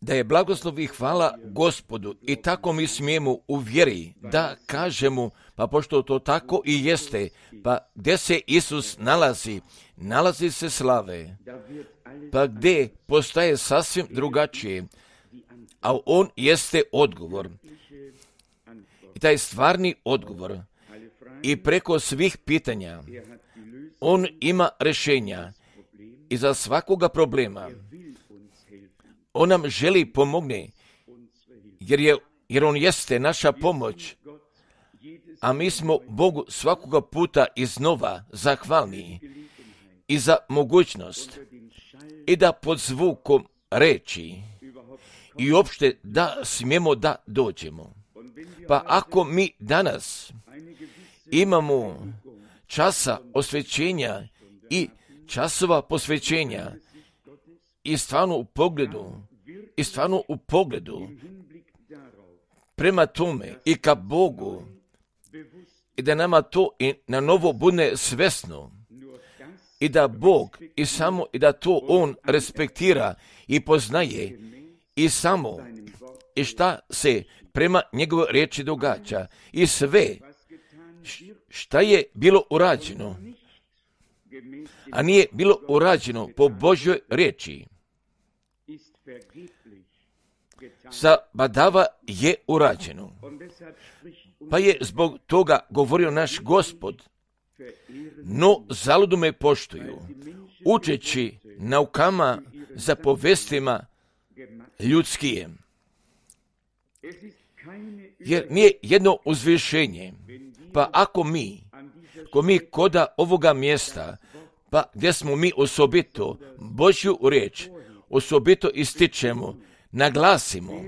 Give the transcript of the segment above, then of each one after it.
da je blagoslov i hvala Gospodu i tako mi smijemo u vjeri da kažemo, pa pošto to tako i jeste, pa gdje se Isus nalazi se slave, pa gdje postaje sasvim drugačije, a on jeste odgovor. I taj stvarni odgovor i preko svih pitanja on ima rješenja i za svakoga problema. On nam želi pomogne, jer on jeste naša pomoć, a mi smo Bogu svakoga puta iznova zahvalni i za mogućnost i da pod zvukom reči i uopšte da smijemo da dođemo. Pa ako mi danas imamo časa osvećenja i časova posvećenja i stvarno u pogledu prema tome i ka Bogu i da nama to i na novo bude svesno i da Bog i da to on respektira i poznaje i samo i šta se prema njegovoj riječi događa i sve šta je bilo urađeno, a nije bilo urađeno po Božjoj riječi, zabadava je urađeno. Pa je zbog toga govorio naš Gospod, no zaludu me poštuju, učeći naukama za povestima ljudskije. Jer nije jedno uzvišenje, pa ako mi koda ovoga mjesta, pa gdje smo mi osobito Božju riječ, osobito ističemo, naglasimo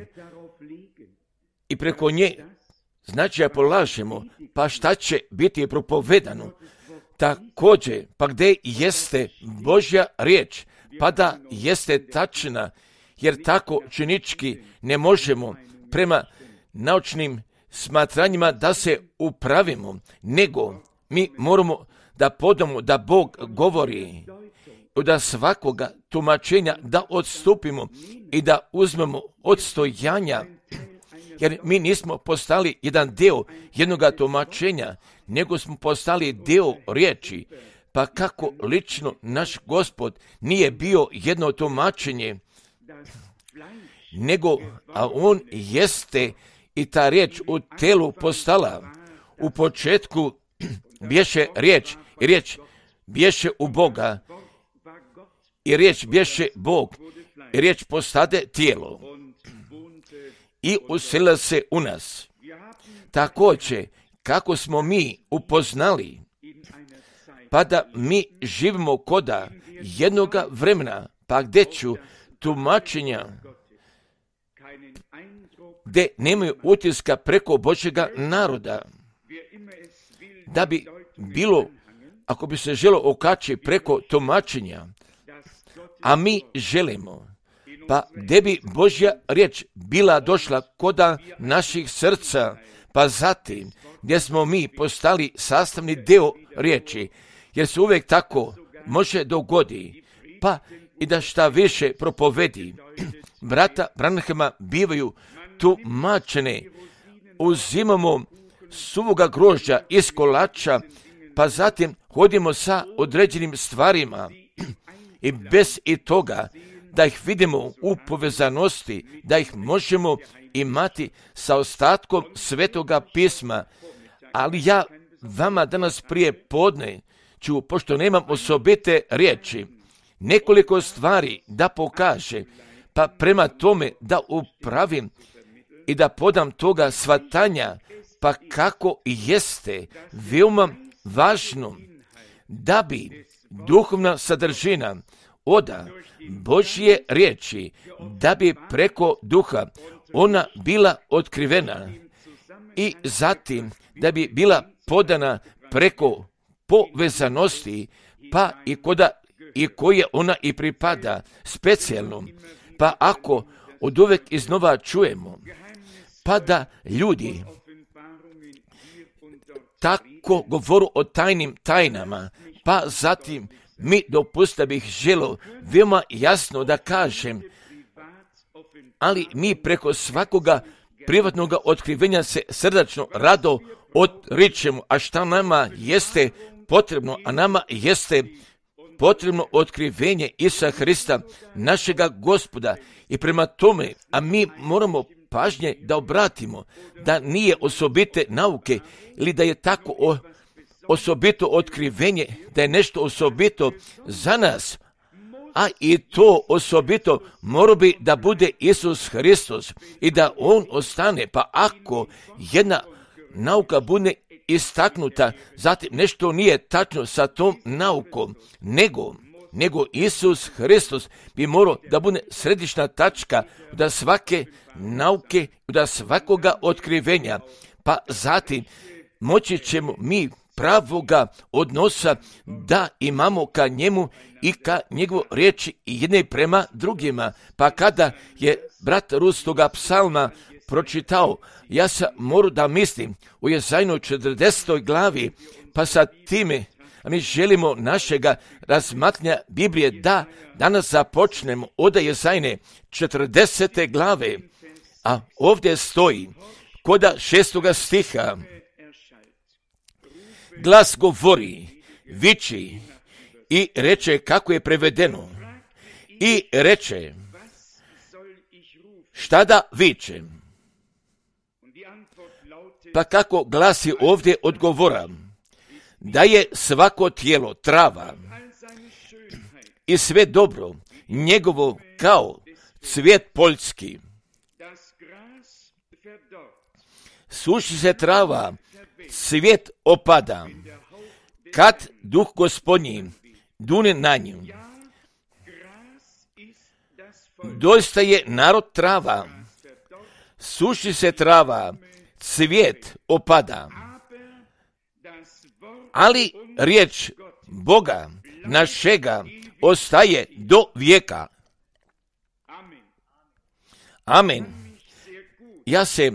i preko nje značaja polažemo, pa šta će biti propovedano, također, pa gdje jeste Božja riječ, pa da jeste tačna, jer tako činički ne možemo prema naučnim smatranjima da se upravimo, nego mi moramo da podamo da Bog govori, da svakoga tumačenja da odstupimo i da uzmemo odstojanja, jer mi nismo postali jedan dio jednoga tumačenja, nego smo postali dio riječi, pa kako lično naš Gospod nije bio jedno tumačenje, nego, a on jeste i ta riječ u telu postala. U početku bješe riječ i riječ bješe u Boga i riječ bješe Bog i riječ postade tijelo i uselila se u nas. Također, kako smo mi upoznali, pa da mi živimo koda jednoga vremena, pa gdje ću tumačenja, gdje nemaju utiska preko Božjega naroda, da bi bilo, ako bi se želo okači preko tumačenja, a mi želimo, pa gdje bi Božja riječ bila došla koda naših srca, pa zatim gdje smo mi postali sastavni dio riječi, jer se uvijek tako može dogodi, pa i da šta više propovedi. Brata Branhama bivaju tumačene, uzimamo suvoga grožđa iz kolača, pa zatim hodimo sa određenim stvarima i bez i toga da ih vidimo u povezanosti, da ih možemo imati sa ostatkom Svetoga pisma. Ali ja vama danas prije podne ću, pošto nemam osobite riječi, nekoliko stvari da pokaže, pa prema tome da upravim i da podam toga shvatanja, pa kako jeste veoma važno da bi duhovna sadržina oda Božje riječi, da bi preko duha ona bila otkrivena i zatim da bi bila podana preko povezanosti, pa i koje ona i pripada specijalno. Pa ako od uvek iznova čujemo, pa da ljudi tako govoru o tajnim tajnama, pa zatim mi dopusta bih želo veoma jasno da kažem, ali mi preko svakoga privatnog otkrivenja se srdačno rado odričemo. A šta nama jeste potrebno? A nama jeste potrebno otkrivenje Isusa Hrista, našega Gospoda. I prema tome, a mi moramo pažnje da obratimo, da nije osobite nauke ili da je tako osobito otkrivenje, da je nešto osobito za nas, a i to osobito mora bi da bude Isus Hristos i da On ostane. Pa ako jedna nauka bude istaknuta, zatim nešto nije tačno sa tom naukom, nego Isus Hristos bi morao da bude središnja tačka da svake nauke, da svakoga otkrivenja, pa zatim moći ćemo mi pravoga odnosa da imamo ka njemu i ka njegovu riječi jedne prema drugima. Pa kada je brat Rus toga psalma pročitao, ja sam morao da mislim u Jezajnoj 40. glavi, pa sa time, a mi želimo našega razmatranja Biblije da danas započnemo od Jezajne 40. glave, a ovdje stoji koda 6. stiha, glas govori, viči i reče, kako je prevedeno, i reče, šta da vičem? Pa kako glasi ovdje odgovora, da je svako tijelo trava i sve dobro njegovo kao cvijet poljski. Suši se trava, cvijet opada, kad duh Gospodnji dune na nju. Doista je narod trava, suši se trava, cvijet opada, ali riječ Boga našega ostaje do vijeka. Amen. Ja se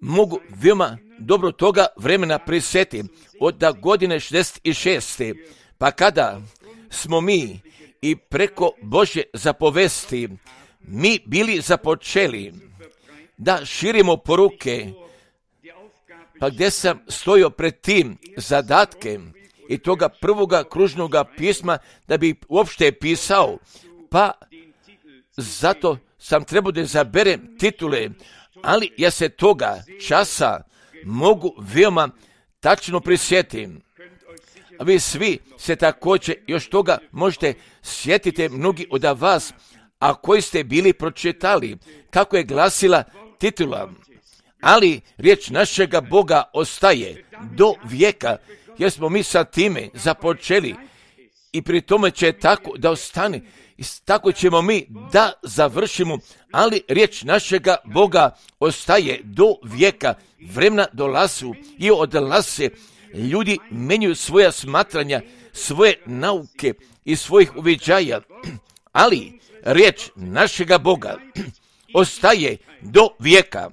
mogu veoma dobro toga vremena prisjetim od godine 66. Pa kada smo mi i preko Božje zapovesti mi bili započeli da širimo poruke, pa gdje sam stojao pred tim zadatkem i toga prvoga kružnoga pisma da bi uopšte pisao, pa zato sam trebao da zaberem titule, ali ja se toga časa mogu veoma tačno prisjetim. A vi svi se također još toga možete sjetiti, mnogi od vas, a koji ste bili pročitali kako je glasila titula. Ali riječ našega Boga ostaje do vijeka, jer smo mi sa time započeli i pri tome će tako da ostane. I tako ćemo mi da završimo, ali riječ našega Boga ostaje do vijeka. Vremena dolazu i odlaze. Ljudi menjaju svoja smatranja, svoje nauke i svojih uviđaja, ali riječ našega Boga ostaje do vijeka.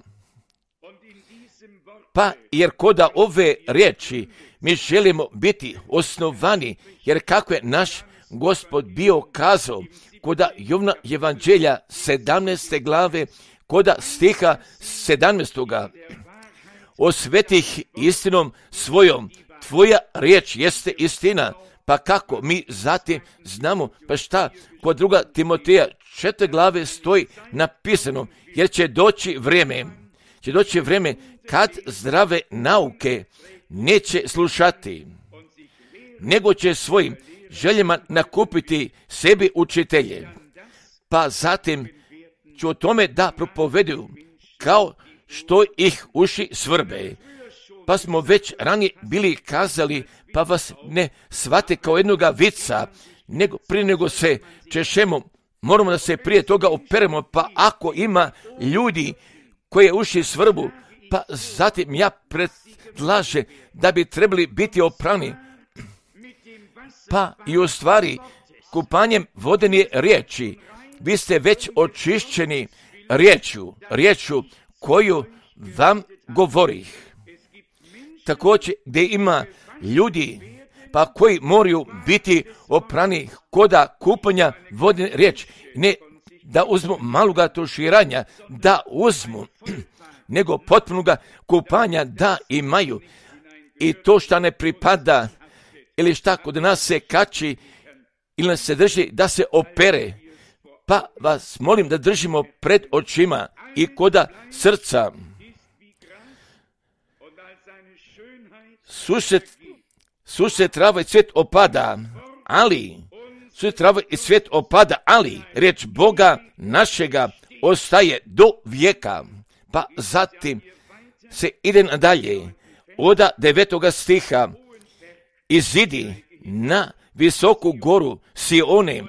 Pa jer koda ove riječi mi želimo biti osnovani, jer kako je naš Gospod bio kazao koda Jovna Evanđelja 17. glave, koda stiha 17. Osvetih istinom svojom, tvoja riječ jeste istina. Pa kako mi zatim znamo, pa šta kod 2. Timoteja 4. glave stoji napisano, jer će doći vrijeme kad zdrave nauke neće slušati, nego će svojim željama nakupiti sebi učitelje. Pa zatim ću o tome da propoveduju kao što ih uši svrbe. Pa smo već ranije bili kazali, pa vas ne shvate kao jednoga vica, nego prije nego se češemo, moramo da se prije toga operemo, pa ako ima ljudi koje uši svrbu, pa zatim ja predlažem da bi trebali biti oprani. Pa i u stvari kupanjem vodene riječi vi ste već očišćeni riječju koju vam govorih. Također gdje ima ljudi pa koji moraju biti oprani koda kupanja vodene riječi. Ne da uzmu maloga tuširanja, da uzmu, nego potpunoga kupanja da imaju. I to što ne pripada, ili šta kod nas se kači, ili nas se drži, da se opere. Pa vas molim da držimo pred očima i koda srca. Susret trava i cvijet opada, ali riječ Boga našega ostaje do vijeka. Pa zatim se ide nadalje, od 9. stiha, izidi na visoku goru Sione,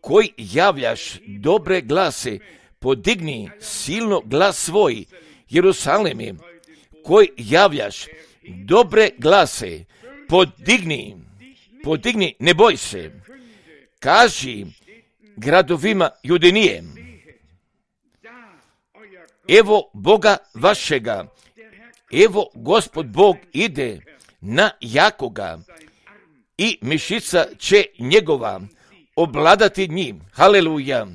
koji javljaš dobre glase, podigni silno glas svoj, Jerusaleme, koji javljaš dobre glase, podigni, ne boj se, kaži gradovima Judinije, evo Boga vašega, evo Gospod Bog ide na jakoga i mišica će njegova obladati njim, haleluja,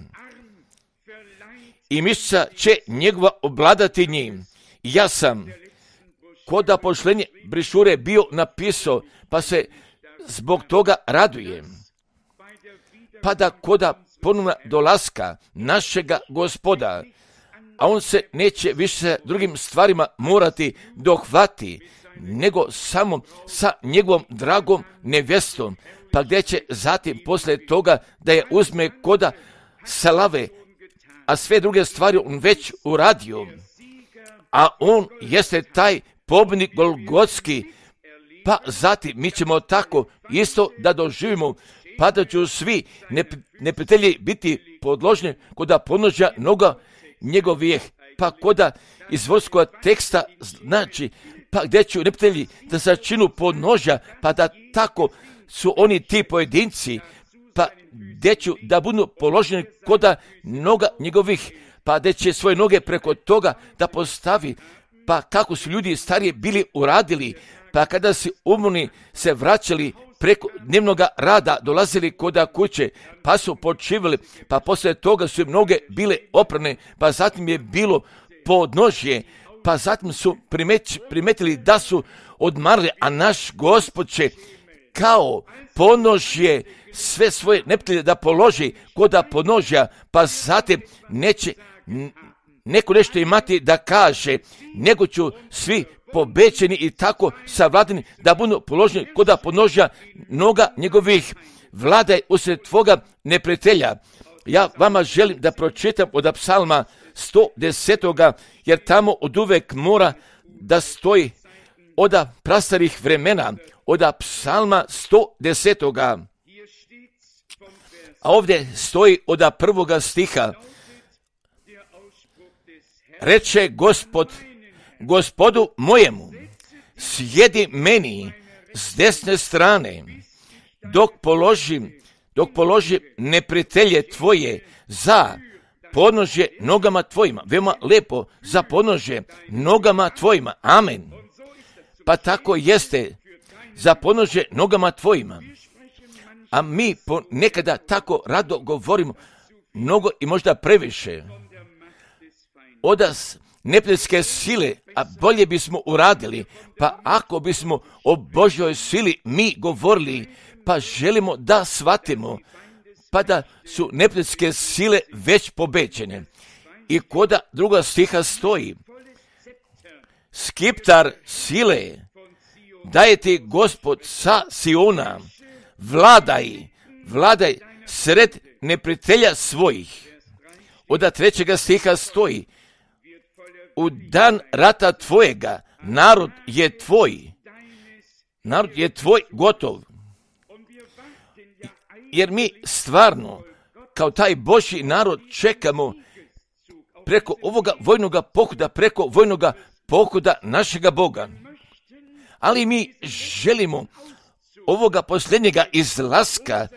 i mišica će njegova obladati njim. Ja sam koda pošlenje brišure bio napisao, pa se zbog toga radujem. Pa da koda ponovna dolaska našega Gospoda, a on se neće više sa drugim stvarima morati dohvati, nego samo sa njegovom dragom nevjestom, pa gdje će zatim poslije toga da je uzme koda slave, a sve druge stvari on već uradio, a on jeste taj pobjednik Golgotski, pa zatim mi ćemo tako isto da doživimo, pa da ću svi neprijatelji biti podložni koda podnožja noga njegovih, pa koda iz vojskog teksta znači, pa gdje ću neprijatelji da začinu podnožja, pa da tako su oni ti pojedinci, pa gdje ću da budu položeni koda noga njegovih, pa gdje će svoje noge preko toga da postavi, pa kako su ljudi starije bili uradili, pa kada si umorni se vraćali preko dnevnoga rada, dolazili koda kuće, pa su počivali, pa poslije toga su im noge bile oprane, pa zatim je bilo podnožje, pa zatim su primetili da su odmarali, a naš Gospod će kao podnožje sve svoje neprijatelje da položi koda podnožja, pa zatim neće neko nešto imati da kaže, nego ću svi pobećeni i tako savladani da budu položeni koda podnožja noga njegovih. Vladaj usred tvoga neprijatelja. Ja vama želim da pročitam od psalma 110. jer tamo od uvek mora da stoji od prastarih vremena, od psalma 110. A ovdje stoji od 1. stiha. Reče Gospod Gospodu mojemu, sjedi meni s desne strane, dok položim neprijatelje tvoje za podnožje nogama tvojima. Veoma lepo, za podnožje nogama tvojima. Amen. Pa tako jeste, za podnožje nogama tvojima. A mi nekada tako rado govorimo, mnogo i možda previše. Od neprijateljske sile, a bolje bismo uradili, pa ako bismo o Božjoj sili mi govorili, pa želimo da shvatimo, pa da su neprijateljske sile već pobeđene. I koda 2. stiha stoji, skiptar sile daje ti Gospod sa Siona, vladaj sred neprijatelja svojih. Od 3. stiha stoji, u dan rata tvojega narod je tvoj gotov. Jer mi stvarno kao taj Božji narod čekamo preko ovoga vojnoga pohoda našega Boga. Ali mi želimo ovoga posljednjega izlaska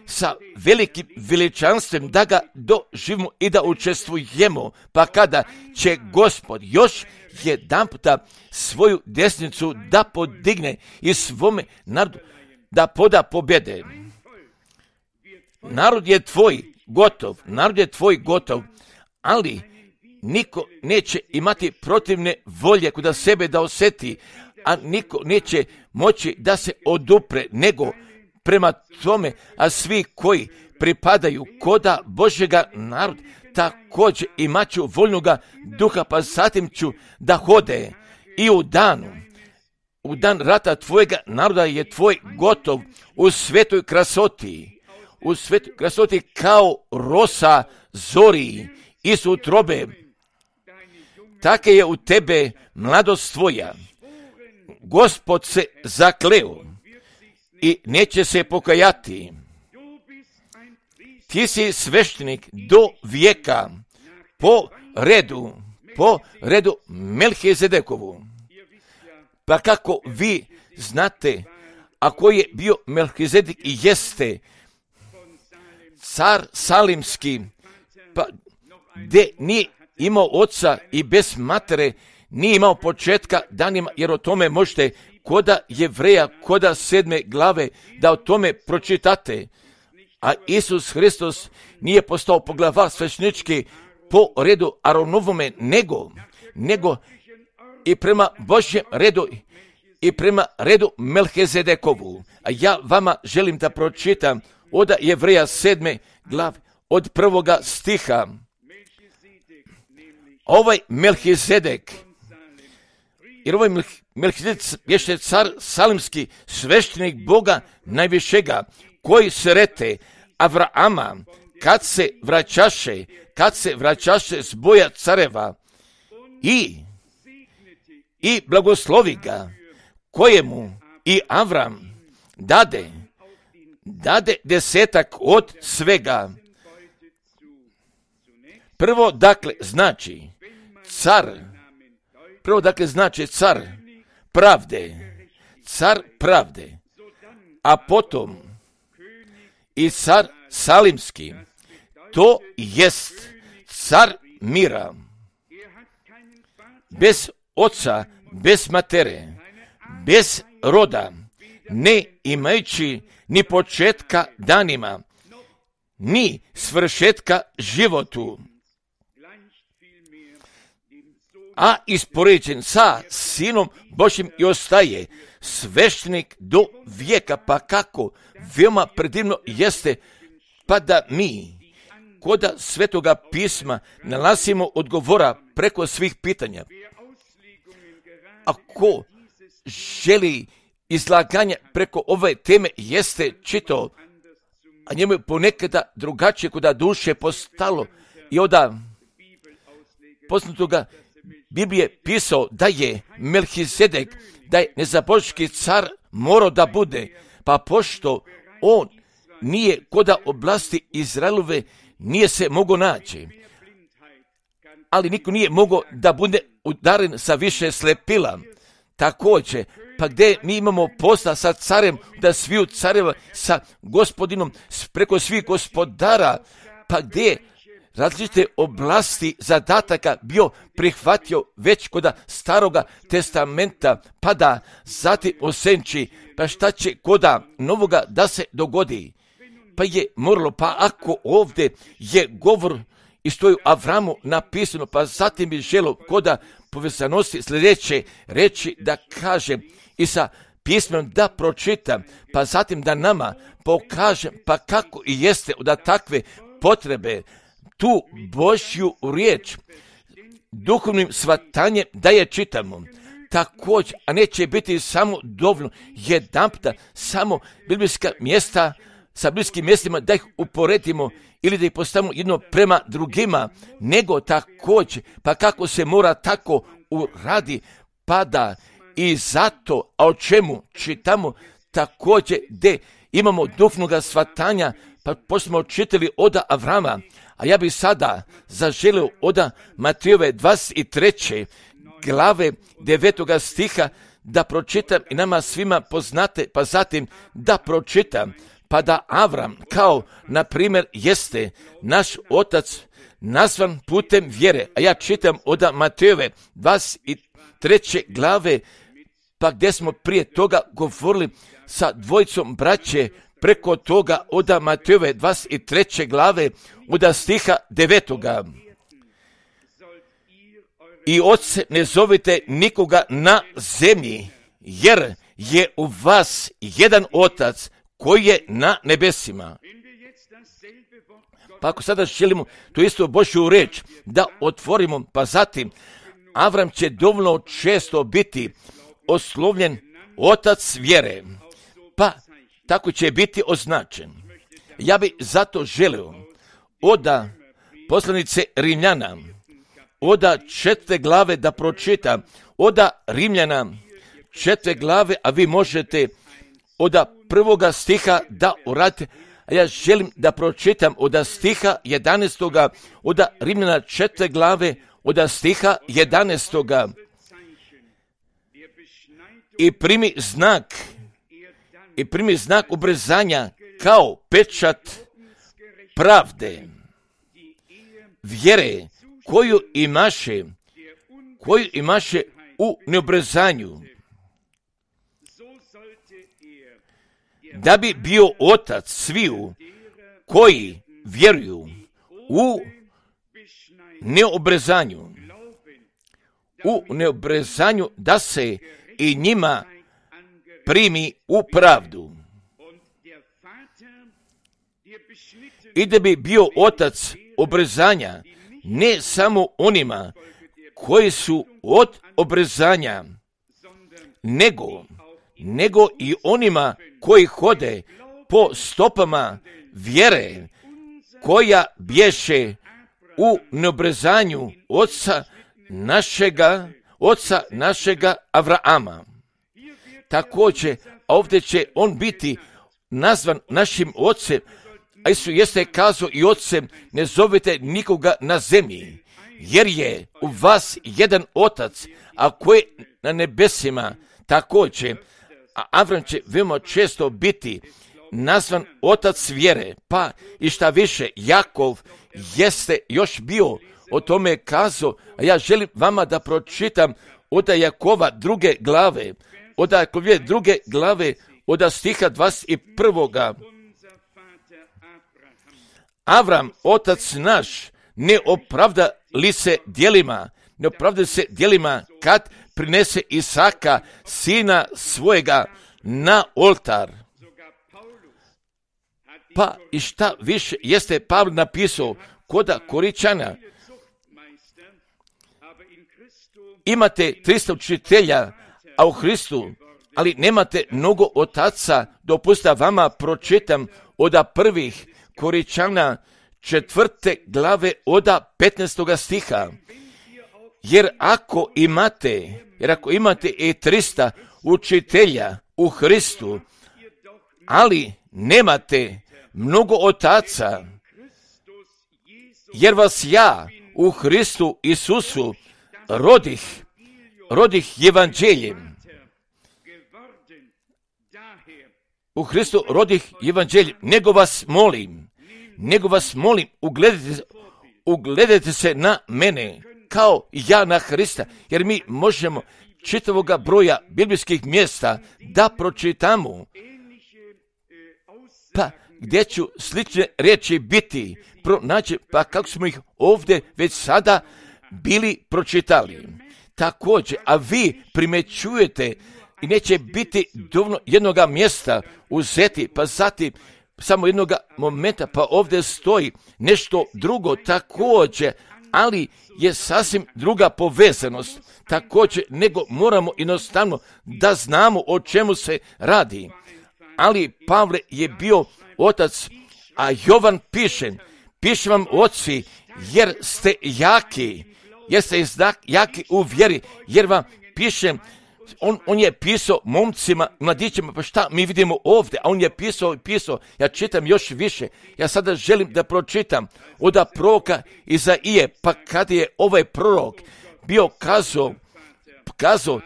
sa velikim veličanstvom da ga doživimo i da učestvujemo, pa kada će Gospod još jedanputa svoju desnicu da podigne i svome narodu da poda pobjede. Narod je tvoj gotov, narod je tvoj gotov, ali niko neće imati protivne volje kuda sebe da osjeti, a niko neće moći da se odupre, nego prema tome, a svi koji pripadaju koda Božjega naroda, također imaću voljnoga duha, pa zatim ću da hode i u dan rata tvojega naroda je tvoj gotov u svetoj krasoti kao rosa zori iz utrobe. Take je u tebe mladost tvoja. Gospod se zakleo i neće se pokajati. Ti si sveštenik do vijeka po redu Melhizedekovu. Pa kako vi znate, ako je bio Melhizedek i jeste car salimski, pa gdje nije imao oca i bez matere, nije imao početka danima, jer o tome možete koda Jevreja, koda 7. glave, da o tome pročitate. A Isus Hristos nije postao poglavar sveštenički po redu Aronovome, nego i prema Božjem redu i prema redu Melhizedekovu. A ja vama želim da pročitam od Jevreja 7. glave, od 1. stiha. Ovaj Melhizedek, jer ovaj Melhizedek je car salimski, sveštenik Boga najvišega, koji srete Avrama kad se vraćaše s boja careva i blagoslovi ga, kojemu i Avram dade 10 od svega. Prvo dakle znači car pravde, a potom i car salimski, to jest car mira, bez oca, bez matere, bez roda, ne imajući ni početka danima, ni svršetka životu, a ispoređen sa Sinom Božjim i ostaje sveštenik do vijeka. Pa kako veoma predivno jeste, pa da mi koda Svetoga pisma nalazimo odgovora preko svih pitanja. Ako želi izlaganje preko ove teme jeste čitao, a njemu je ponekada drugačije kuda duše postalo i onda poznatoga Biblije pisao da je Melhizedek, da je nezaboški car morao da bude, pa pošto on nije koda oblasti Izraelove, nije se mogao naći. Ali niko nije mogao da bude udaren sa više slepila. Također, pa gdje mi imamo posla sa carem, da sviju careva, sa gospodinom, preko svih gospodara, pa gdje različite oblasti zadataka bio prihvatio već kod Staroga testamenta, pa da zatim osenči, pa šta će koda novoga da se dogodi. Pa je moralo, pa ako ovdje je govor i stoju Avramu napisano, pa zatim bi želo koda povezanosti sljedeće reći da kažem i sa pismom da pročitam, pa zatim da nama pokažem, pa kako i jeste od takve potrebe tu Božju riječ duhovnim shvatanjem da je čitamo. Također, a neće biti samo dovoljno jedanputa, samo biblijska mjesta sa biblijskim mjestima da ih uporedimo ili da ih postavimo jedno prema drugima, nego također, pa kako se mora tako uradi, pa da i zato, a o čemu čitamo također gdje imamo duhovnog shvatanja, pa pošto smo čitali od Avrama, a ja bih sada zaželio od Matejove 23. glave 9. stiha da pročitam i nama svima poznate, pa zatim da pročitam, pa da Avram kao, na primjer, jeste naš otac nazvan putem vjere. A ja čitam od Matejove 23. glave, pa gdje smo prije toga govorili sa dvojicom braće preko toga od Matejove 23. glave od stiha 9. I oče ne zovite nikoga na zemlji, jer je u vas jedan otac koji je na nebesima. Pa ako sada želimo tu istu Božju reč da otvorimo, pa zatim Avram će dovoljno često biti oslovljen otac vjere, pa tako će biti označen. Ja bi zato želio od poslanice Rimljana, od 4. glave da pročitam, od Rimljana 4. glave, a vi možete od 1. stiha da uradite, a ja želim da pročitam od stiha 11. od Rimljana 4. glave, od stiha 11. I primi znak ubrzanja kao pečat pravde, vjere koju imaše u neobrzanju, da bi bio otac sviju koji vjeruju u neobrezanju, da se i njima primi u pravdu. I da bi bio otac obrezanja ne samo onima koji su od obrezanja, nego i onima koji hode po stopama vjere koja bješe u neobrezanju oca našega Avrama. Također, ovdje će on biti nazvan našim ocem, a Isus jeste kazao i ocem, ne zovite nikoga na zemlji, jer je u vas jedan otac, a koji na nebesima. Također, a Avram će veoma često biti nazvan otac vjere, pa i šta više, Jakov jeste još bio o tome kazao, a ja želim vama da pročitam od Jakova 2. glave, od Jakova 2. glave, od stiha 21. Avram, otac naš, ne opravda se djelima kad prinese Isaka, sina svojega, na oltar. Pa i šta više jeste Pavle napisao kod Koričana. Imate 300 učitelja, a u Hristu, ali nemate mnogo otaca. Dopustite vama pročitam od 1. Koričana 4. glave od 15. stiha. Jer ako imate i 300 učitelja u Hristu, ali nemate mnogo otaca, jer vas ja u Hristu Isusu rodih evanđeljem. U Hristu rodih evanđeljem, nego vas molim, ugledajte se na mene, kao i ja na Hrista, jer mi možemo čitavoga broja biblijskih mjesta da pročitamo, pa gdje ću slične riječi biti pronaći, pa kako smo ih ovdje već sada bili pročitali. Također, a vi primećujete i neće biti dovoljno jednoga mjesta uzeti, pa zatim samo jednoga momenta, pa ovdje stoji nešto drugo također, ali je sasvim druga povezanost također, nego moramo jednostavno da znamo o čemu se radi. Ali Pavle je bio otac, a Jovan piše vam oci, jer ste jaki u vjeri, jer vam pišem. On je pisao momcima, mladićima, pa šta mi vidimo ovdje, a on je pisao, ja čitam još više, ja sada želim da pročitam od proroka Izaije, pa kad je ovaj prorok bio kazao,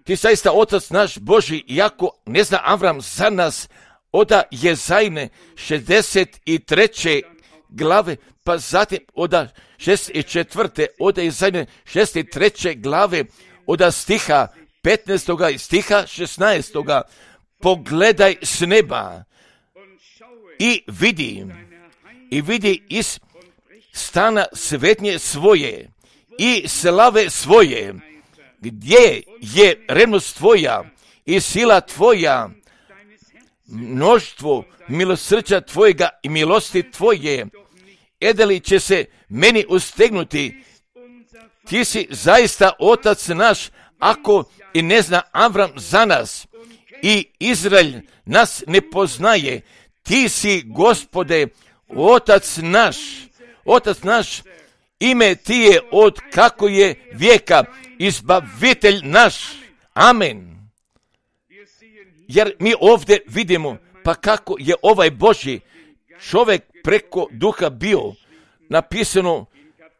ti zaista otac naš Boži, iako ne zna Avram za nas, od Jezajne 63. glave, pa zatim od 64. od Jezajne 63. glave, od stiha 15. i stiha 16. Pogledaj s neba i vidi iz stana svetnje svoje i slave svoje, gdje je revnost tvoja i sila tvoja, mnoštvo milosrđa tvojega i milosti tvoje, edeli će se meni ustegnuti. Ti si zaista otac naš, ako i ne zna Avram za nas i Izrael nas ne poznaje. Ti si, Gospode, otac naš, ime ti je od kako je vijeka, izbavitelj naš. Amen. Jer mi ovdje vidimo, pa kako je ovaj Božji čovjek preko duha bio napisano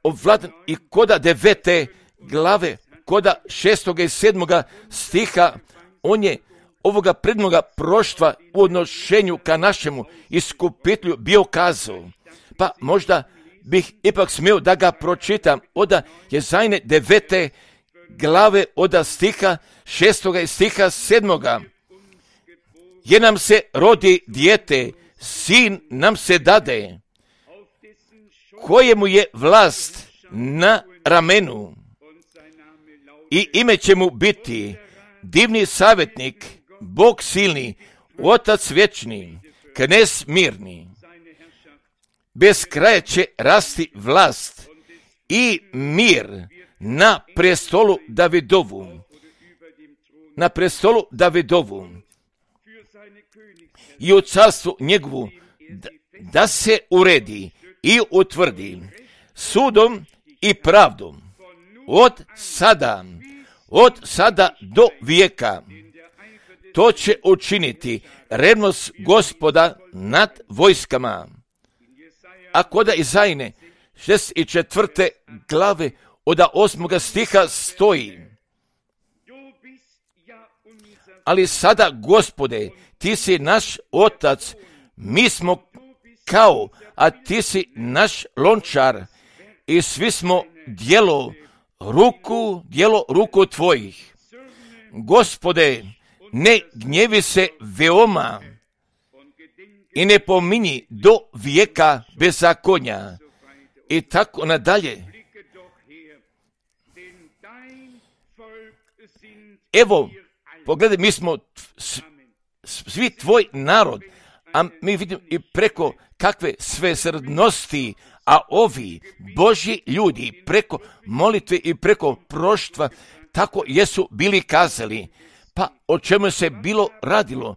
ovladan i koda 9. glave, koda 6. i 7. stiha, on je ovoga prednoga proštva u odnošenju ka našemu iskupitelju bio kazao. Pa možda bih ipak smio da ga pročitam. Oda Jezajne 9. glave, oda stiha 6. i stiha 7. Jer nam se rodi dijete, sin nam se dade, kojemu je vlast na ramenu, i ime će mu biti divni savjetnik, Bog silni, Otac vječni, Knez mirni. Bez kraja će rasti vlast i mir na prestolu Davidovu i u carstvu njegovu, da se uredi i utvrdi sudom i pravdom od sada do vijeka. To će učiniti revnost Gospoda nad vojskama. A koda Izajne 64. glave od 8. stiha stoji: ali sada, Gospode, ti si naš otac, mi smo kao, a ti si naš lončar i svi smo djelo ruku tvojih. Gospode, ne gnjevi se veoma i ne pominji do vijeka bezakonja. I tako nadalje. Evo, pogledaj, mi smo svi tvoj narod, a mi vidimo i preko kakve svesrdnosti, a ovi Božji ljudi preko molitve i preko proštva tako jesu bili kazali. Pa o čemu se bilo radilo?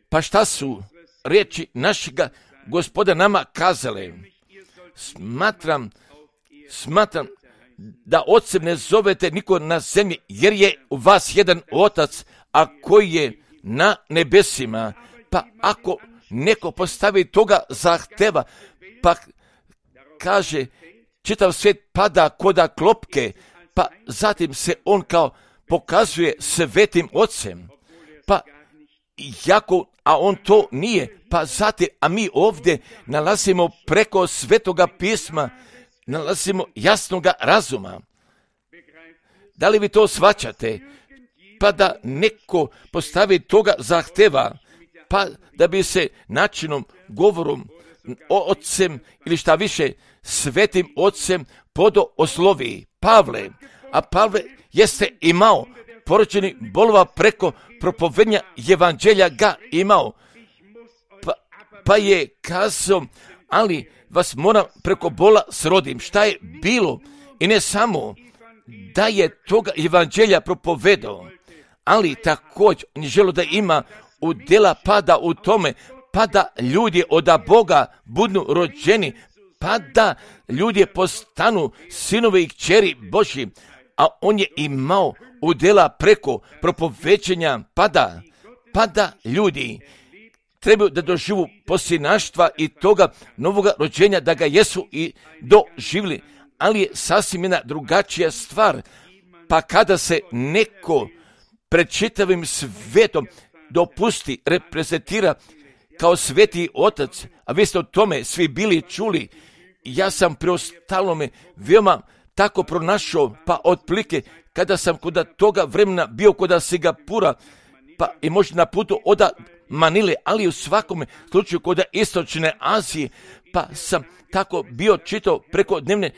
Pa šta su riječi našega Gospoda nama kazale? Smatram da ocem ne zovete niko na zemlji, jer je u vas jedan otac, a koji je na nebesima. Pa ako neko postavi toga zahteva, pa kaže čitav svijet pada koda klopke, pa zatim se on kao pokazuje svetim ocem, pa jako, a on to nije, pa zatim, a mi ovdje nalazimo preko svetoga pisma, nalazimo jasnoga razuma. Da li vi to shvaćate? Pa da neko postavi toga zahteva, pa da bi se načinom, govorom o ocem ili šta više svetim ocem podo oslovi Pavle, a Pavle jeste imao porođeni bolova preko propovednja evanđelja ga imao, pa je kazao, ali vas moram preko bola srodim. Šta je bilo? I ne samo da je toga evanđelja propovedao, ali također on je želio da ima udjela pada u tome, pa da ljudi od Boga budu rođeni, pa da ljudi postanu sinovi i kćeri Božji, a on je imao udjela preko propoveđenja, pa da ljudi trebaju da doživu posinaštva i toga novoga rođenja, da ga jesu i doživjeli, ali je sasvim jedna drugačija stvar. Pa kada se neko pred čitavim svetom dopusti, reprezentira kao sveti otac, a vi ste o tome svi bili čuli, ja sam preostalome veoma tako pronašao, pa otprilike kada sam kod toga vremena bio kod Singapura, pa i možda na putu od Manile, ali u svakom slučaju kod Istočne Azije, pa sam tako bio čitao preko dnevne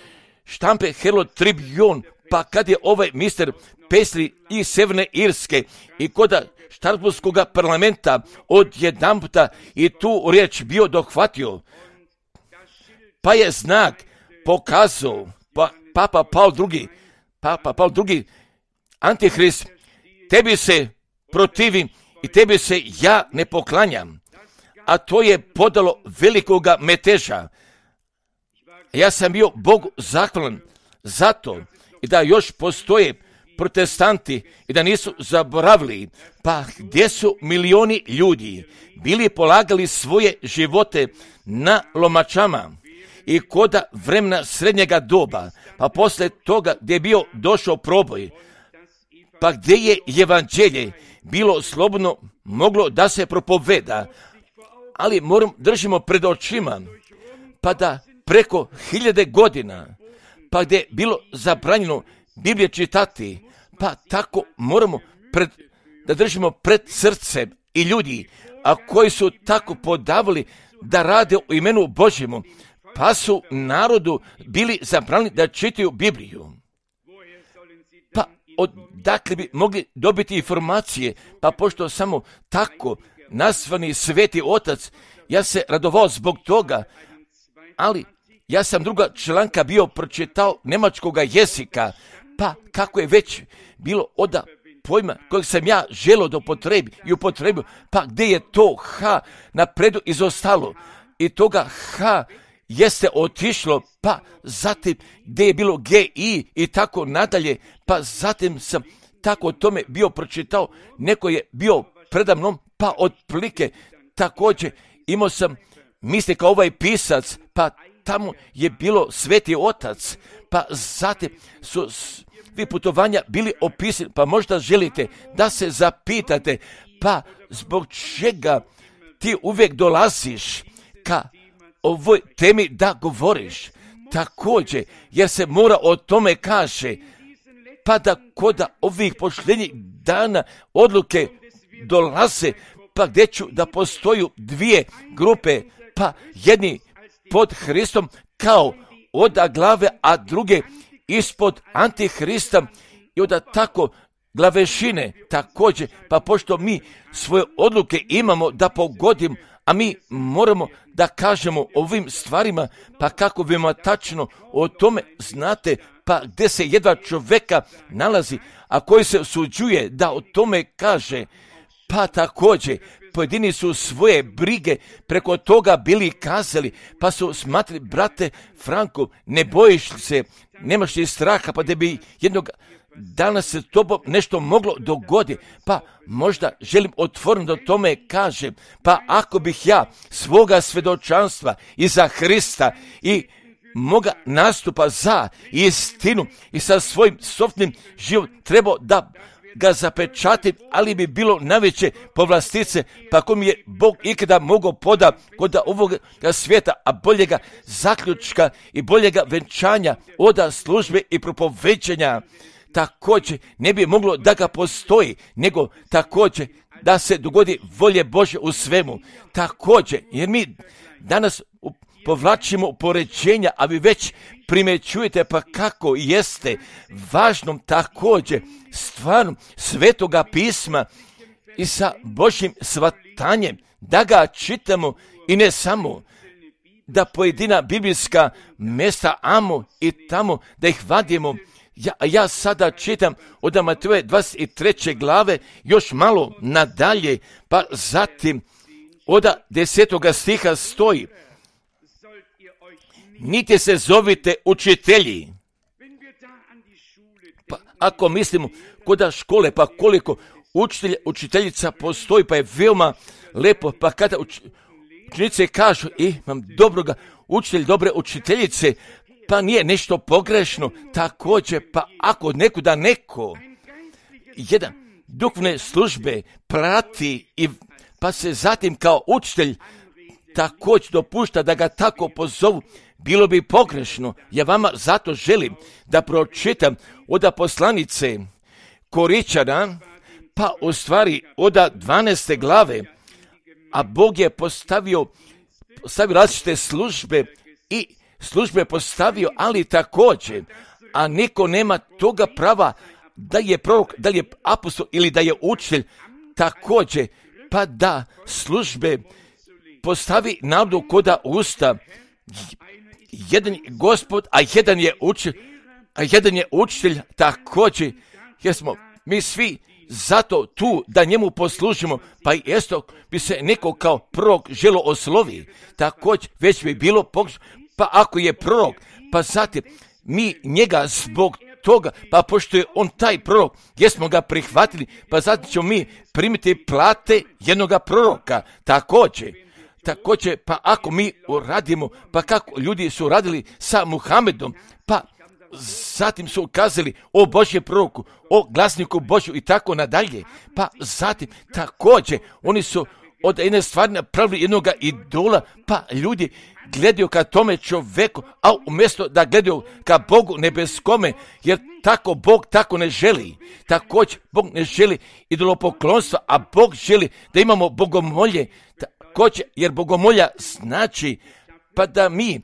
štampe Herald Tribune, pa kad je ovaj mister Paisley iz Sjeverne Irske i kod Štrasburskog parlamenta odjedanputa i tu riječ bio dohvatio, pa je znak pokazao Papa Paul II, Antihrist, tebi se protivim i tebi se ja ne poklanjam, a to je podalo velikoga meteža. Ja sam bio Bogu zahvalan zato i da još postoje protestanti i da nisu zaboravili, pa gdje su milioni ljudi bili polagali svoje živote na lomačama i koda vremena srednjega doba, pa poslije toga gdje je bio došao proboj, pa gdje je evanđelje bilo slobodno moglo da se propoveda, ali držimo pred očima, pa da preko 1000 godina, pa gdje je bilo zabranjeno Biblije čitati, pa tako moramo da držimo pred srcem i ljudi, a koji su tako podavali da rade u imenu Božjemu, pa su narodu bili zabranili da čitaju Bibliju. Pa odakle bi mogli dobiti informacije, pa pošto samo tako nazvani Sveti Otac, ja se radovao zbog toga, ali ja sam druga članka bio pročitao njemačkoga jezika, pa kako je već bilo od pojma kojeg sam ja želio da upotrebio, pa gdje je to H napredu izostalo i toga H jeste otišlo, pa zatim gdje je bilo GI i tako nadalje, pa zatim sam tako o tome bio pročitao, neko je bio predamnom, pa otprilike također imao sam misli kao ovaj pisac, pa tamo je bilo Sveti Otac, pa zatim su svi putovanja bili opisani, pa možda želite da se zapitate, pa zbog čega ti uvijek dolaziš ka ovoj temi da govoriš, također, jer se mora o tome kaže, pa da kod ovih posljednjih dana odluke dolaze, pa gdje ću da postoju dvije grupe, pa jedni pod Hristom kao od glave, a druge ispod Antihrista i onda tako glavešine također, pa pošto mi svoje odluke imamo da pogodimo, a mi moramo da kažemo ovim stvarima, pa kako vi tačno o tome znate, pa gdje se jedva čovjeka nalazi, a koji se usuđuje da o tome kaže, pa također pojedini su svoje brige preko toga bili kazali, pa su smatrali, brate Franko, ne bojiš se, nemaš li straha, pa da bi jednog dana se tobom nešto moglo dogoditi, pa možda želim otvoreno da tome kažem, pa ako bih ja svoga svjedočanstva i za Hrista i moga nastupa za istinu i sa svojim sobstvenim životom trebao da ga zapečatim, ali bi bilo najveće povlastice, pa ako mi je Bog ikada mogao poda kod ovoga svijeta, a boljega zaključka i boljega venčanja oda službe i propoveđenja, također ne bi moglo da ga postoji, nego također da se dogodi volje Božje u svemu. Također, jer mi danas povlačimo poređenja, a vi već primjećujete pa kako jeste važnom također stvarnom Svetoga pisma i sa Božjim svatanjem da ga čitamo i ne samo da pojedina biblijska mjesta amo i tamo da ih vadimo. Ja sada čitam od Mateje 23. glave još malo nadalje, pa zatim od 10. stiha stoji: niti se zovite učitelji. Pa ako mislimo kod škole, pa koliko učiteljica postoji, pa je veoma lepo, pa kada učenice kažu imam dobroga učitelja, dobre učiteljice, pa nije nešto pogrešno, također, pa ako nekuda neko jedan duhovne službe prati i pa se zatim kao učitelj također dopušta da ga tako pozovu, bilo bi pogrešno. Ja vama zato želim da pročitam od poslanice Koričana, pa u stvari od 12. glave, a Bog je postavio različite službe i službe postavio, ali također, a niko nema toga prava da je prorok, da je apostol ili da je učitelj također, pa da službe postavi narodu koda usta. Jedan je Gospod, a jedan je učitelj također, jer smo mi svi zato tu da njemu poslužimo, pa i isto bi se neko kao prorok želo oslovi, također već bi bilo pa ako je prorok, pa zatim mi njega zbog toga, pa pošto je on taj prorok, jesmo ga prihvatili, pa zatim ćemo mi primiti plate jednoga proroka, također, pa ako mi uradimo, pa kako ljudi su radili sa Muhamedom, pa zatim su ukazali o Božjem proroku, o glasniku Božju i tako nadalje, pa zatim također oni su od jedne stvari napravili jednoga idola, pa ljudi gledaju ka tome čoveku, a umjesto da gledaju ka Bogu nebeskome, jer tako Bog tako ne želi. Također Bog ne želi idolopoklonstva, a Bog želi da imamo bogomolje, također, jer bogomolja znači pa da mi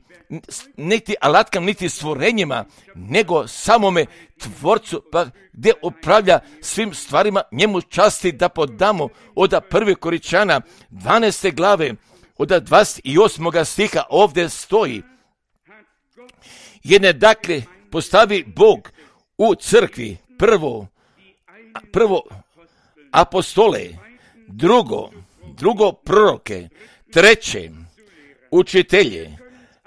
niti alatkama, niti stvorenjima, nego samome Tvorcu, pa gdje upravlja svim stvarima, njemu časti da podamo. Od 1. Korinčana 12. glave, od 28. stiha ovdje stoji: jedne dakle postavi Bog u crkvi prvo apostole, drugo proroke, treće učitelje.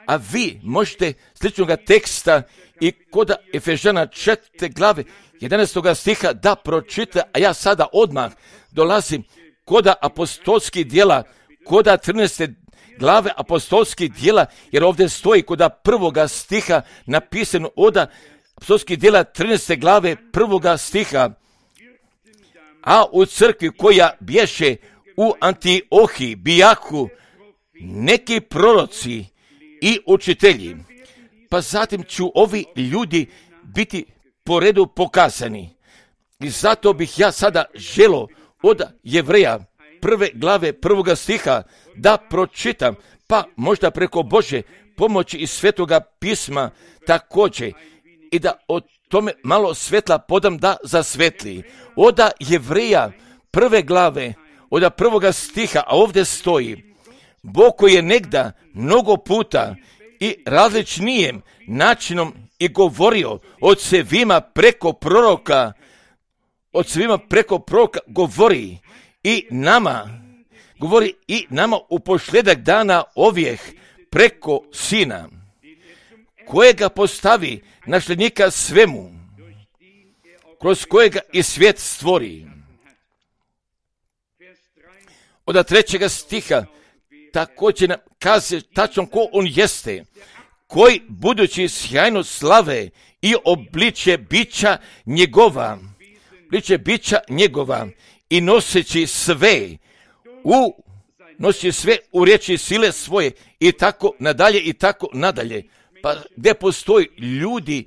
A vi možete sličnoga teksta i kod Efežana 4. glave 11. stiha da pročita, a ja sada odmah dolazim kod apostolskih djela, kod 13. glave apostolskih djela, jer ovdje stoji kod 1. stiha napisano od apostolskih djela 13. glave 1. stiha: a u crkvi koja bješe u Antiohiji bijahu neki proroci i učitelji, pa zatim ću ovi ljudi biti po redu pokazani. I zato bih ja sada želo od Jevreja 1. glave 1. stiha da pročitam, pa možda preko Bože pomoći iz Svetoga pisma također, i da o tome malo svetla podam da zasvetli. Od Jevreja 1. glave, od 1. stiha, a ovdje stoji: Bog koji je negda mnogo puta i različnijem načinom i govorio od svima preko proroka, govori i nama u posljedak dana ovijeh preko Sina, kojega postavi nasljednika svemu, kroz kojega i svijet stvori. Od 3. stiha također nam kaže tačno ko on jeste, koji budući sjajno slave i obličje bića njegova i noseći sve u riječi sile svoje i tako nadalje. Pa gdje postoji ljudi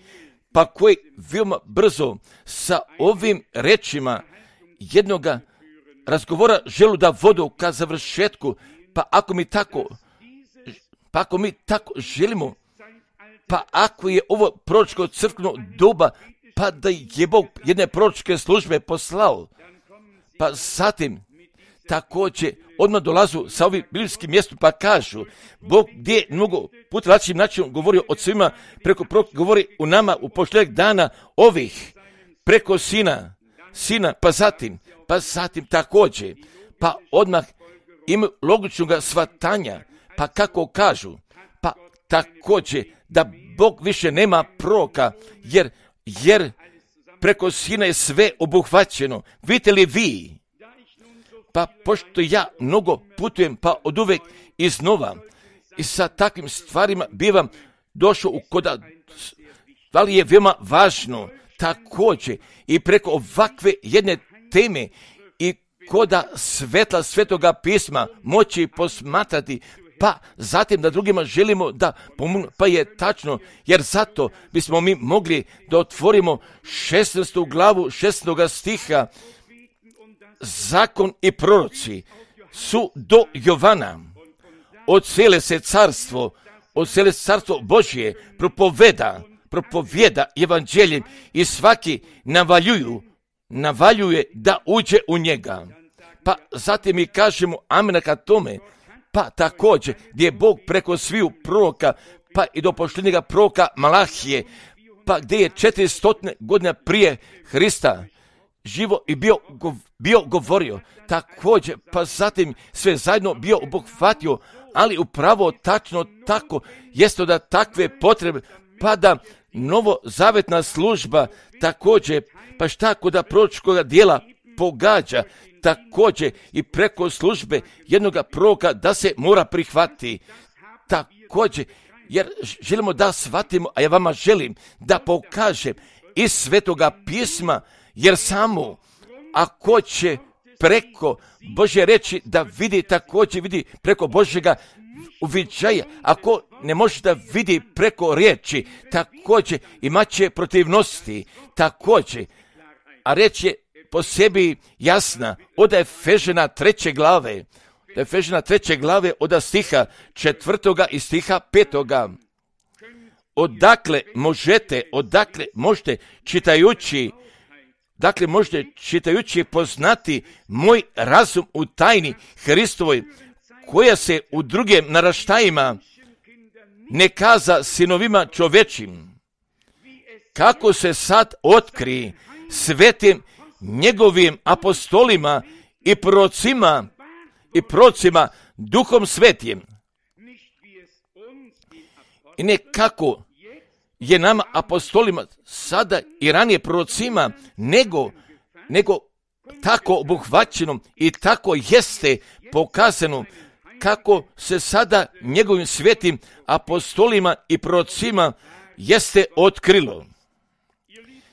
pa koji veoma brzo sa ovim rečima jednoga razgovora želu da vodu ka završetku, pa ako mi tako želimo, pa ako je ovo proročko crkveno doba, pa da je Bog jedne proročke službe poslao, pa zatim također odmah dolazu sa ovim biblijskim mjestom pa kažu: Bog gdje mnogo puta različitim načinom govorio od svima preko proroka, govori u nama u posljednjeg dana ovih preko Sina, pa zatim također, pa odmah imaju logičnog shvatanja, pa kako kažu, pa također da Bog više nema proroka, jer preko Sina je sve obuhvaćeno. Vidite li vi? Pa pošto ja mnogo putujem, pa od uvek iznova i sa takvim stvarima bivam došao u koda, da li je veoma važno također i preko ovakve jedne teme i koda svetla Svetoga pisma moći posmatrati, pa zatim da drugima želimo da pomognu, pa je tačno, jer zato bismo mi mogli da otvorimo 16. glavu 16. stiha, zakon i proroci su do Jovana. Od cijele se carstvo Božje propovjeda evanđeljem i svaki navaljuje da uđe u njega. Pa zatim mi kažemo amena ka tome, pa također gdje je Bog preko sviju proroka, pa i do posljednjega proroka Malahije, pa gdje je 400 godina prije Hrista živo i bio govorio, također, pa zatim sve zajedno bio obuhvatio, ali upravo tačno tako jeste da takve potrebe, pa da novozavetna služba također, pa šta kod proročkoga dijela pogađa, također i preko službe jednoga proroka da se mora prihvatiti. Također, jer želimo da shvatimo, a ja vama želim da pokažem iz Svetoga pisma, jer samo ako će preko Božje reći da vidi, također vidi preko Božjega uviđaja, ako ne može da vidi preko riječi, također imat će protivnosti, također, a reč je po sebi jasna, od Efežana 3. glave, od stiha 4. i stiha 5. Odakle možete čitajući poznati moj razum u tajni Hristovoj, koja se u drugim naraštajima ne kaza sinovima čovečim, kako se sad otkri svetim njegovim apostolima i prorocima Duhom Svetim. I ne kako je nama apostolima sada i ranije prorocima, nego tako obuhvaćeno i tako jeste pokazano kako se sada njegovim svetim apostolima i prorocima jeste otkrilo.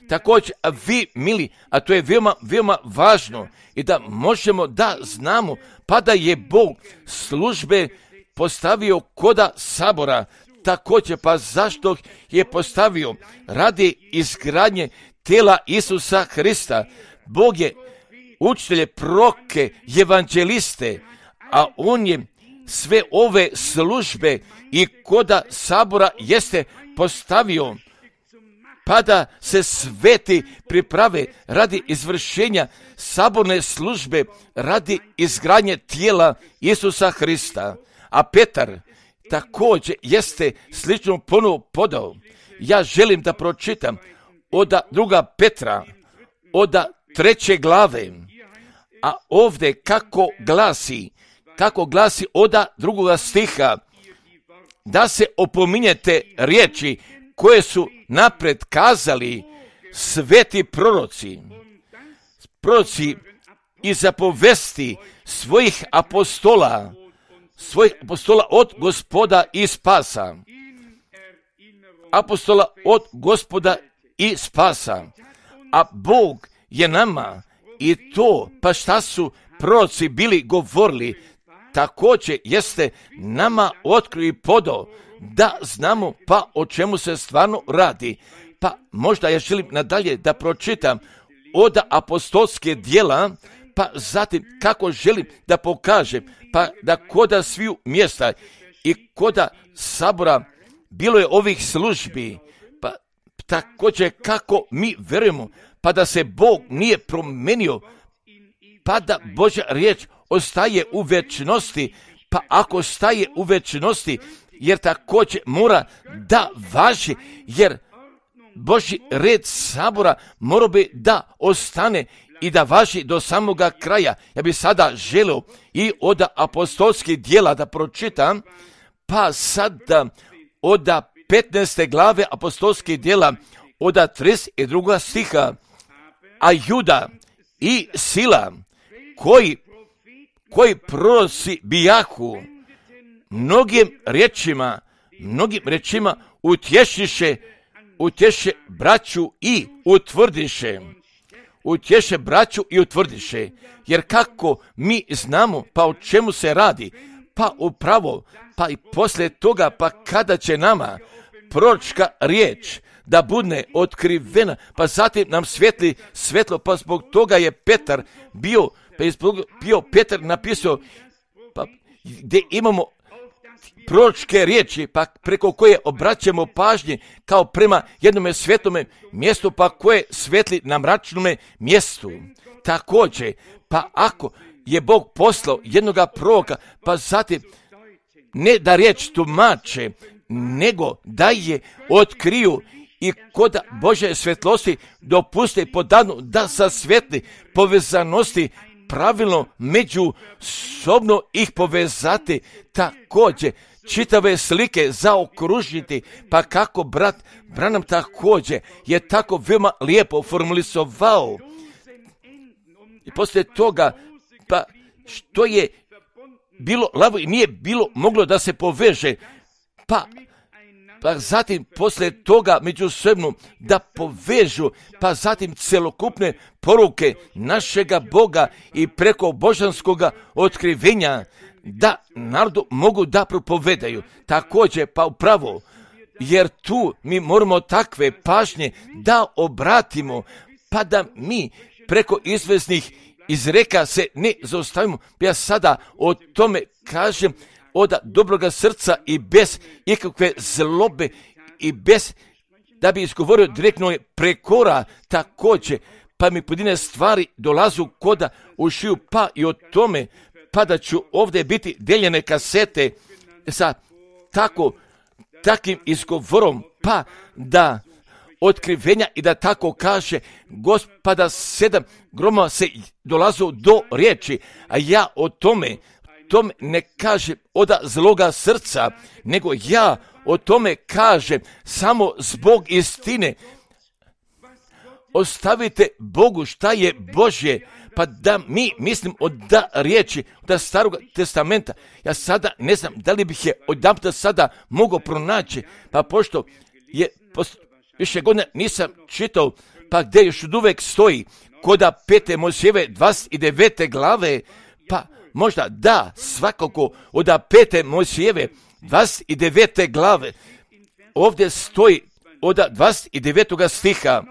Također, a vi, mili, a to je veoma važno i da možemo da znamo, pa da je Bog službe postavio koda sabora, također, pa zašto je postavio? Radi izgradnje tijela Isusa Hrista. Bog je učitelje, proroke, evanđeliste, a on je sve ove službe i koda sabora jeste postavio, pa da se sveti priprave radi izvršenja saborne službe, radi izgradnje tijela Isusa Hrista. A Petar također jeste sličnu ponudu podao. Ja želim da pročitam od 2. Petra, od 3. glave, a ovdje kako glasi od 2. stiha, da se opominjete riječi koje su napred kazali sveti proroci i zapovesti svojih apostola od Gospoda i spasa. Apostola od Gospoda i spasa. A Bog je nama i to, pa šta su proroci bili govorili, također jeste nama otkrio i podao da znamo pa o čemu se stvarno radi. Pa možda ja želim nadalje da pročitam od apostolske djela, pa zatim kako želim da pokažem, pa da koda sviju mjesta i koda sabora bilo je ovih službi, pa također kako mi verujemo, pa da se Bog nije promenio, pa da Božja riječ ostaje u večnosti, pa ako ostaje u večnosti, jer također mora da važi, jer Božji red sabora mora bi da ostane i da važi do samoga kraja. Ja bih sada želio i od apostolskih djela da pročitam, pa sada od 15. glave apostolskih djela, od 32. stiha, a Juda i Sila, koji proroci bijahu, mnogim rečima utješe braću i utvrdiše. Jer kako mi znamo, pa o čemu se radi, pa upravo, pa i poslije toga, pa kada će nama proročka riječ da bude otkrivena, pa zatim nam svijetli svetlo, pa zbog toga je Petar Petar napisao pa gdje imamo proročke riječi, pa preko koje obraćamo pažnje kao prema jednome svetome mjestu, pa koje svetli na mračnome mjestu. Također, pa ako je Bog poslao jednoga proroka, pa zatim ne da riječ tumače, nego da je otkriju i kod Božje svetlosti dopuste podanu da sa svetli povezanosti pravilno međusobno ih povezati, također čitave slike zaokružiti, pa kako brat Branham također je tako veoma lijepo formulisovao. I poslije toga, pa što je bilo lavo i nije bilo moglo da se poveže, pa zatim poslije toga međusobno da povežu, pa zatim celokupne poruke našega Boga i preko božanskoga otkrivenja da narodu mogu da propovedaju. Također, pa upravo, jer tu mi moramo takve pažnje da obratimo, pa da mi preko izvesnih izreka se ne zaustavimo. Ja sada o tome kažem od dobroga srca i bez ikakve zlobe i bez da bi izgovorio direktno prekora. Također, pa mi pojedine stvari dolazu koda u šiju, pa i o tome, pa da ću ovdje biti deljene kasete sa takvim izgovorom, pa da otkrivenja i da tako kaže Gospoda 7 gromova se dolazu do riječi, a ja o tome ne kažem od zloga srca, nego ja o tome kažem samo zbog istine. Ostavite Bogu šta je Božje, pa da mi mislim od riječi, od Starog testamenta. Ja sada ne znam da li bih je odjedanput sada mogao pronaći, pa pošto je više godina nisam čitao, pa gdje još uvijek stoji koda 5. Mojsijeve 29. glave, pa možda da, svakako od 5. Mojsijeve 29. glave, ovdje stoji od 29. stiha.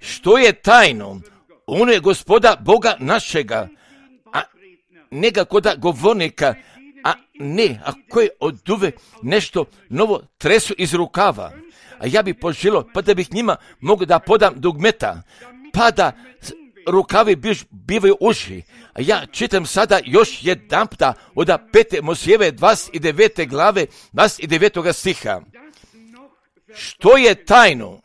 Što je tajno, ono je Gospoda Boga našega, a ne ga koda govornika, a ne, ako je od uvek nešto novo tresu iz rukava. A ja bih poželio, pa da bih njima mogu da podam dugmeta, pa da rukavi bivaju uži. A ja čitam sada još jedan puta od 5. Mojsijeve 29. glave, 29. stiha. Što je tajno?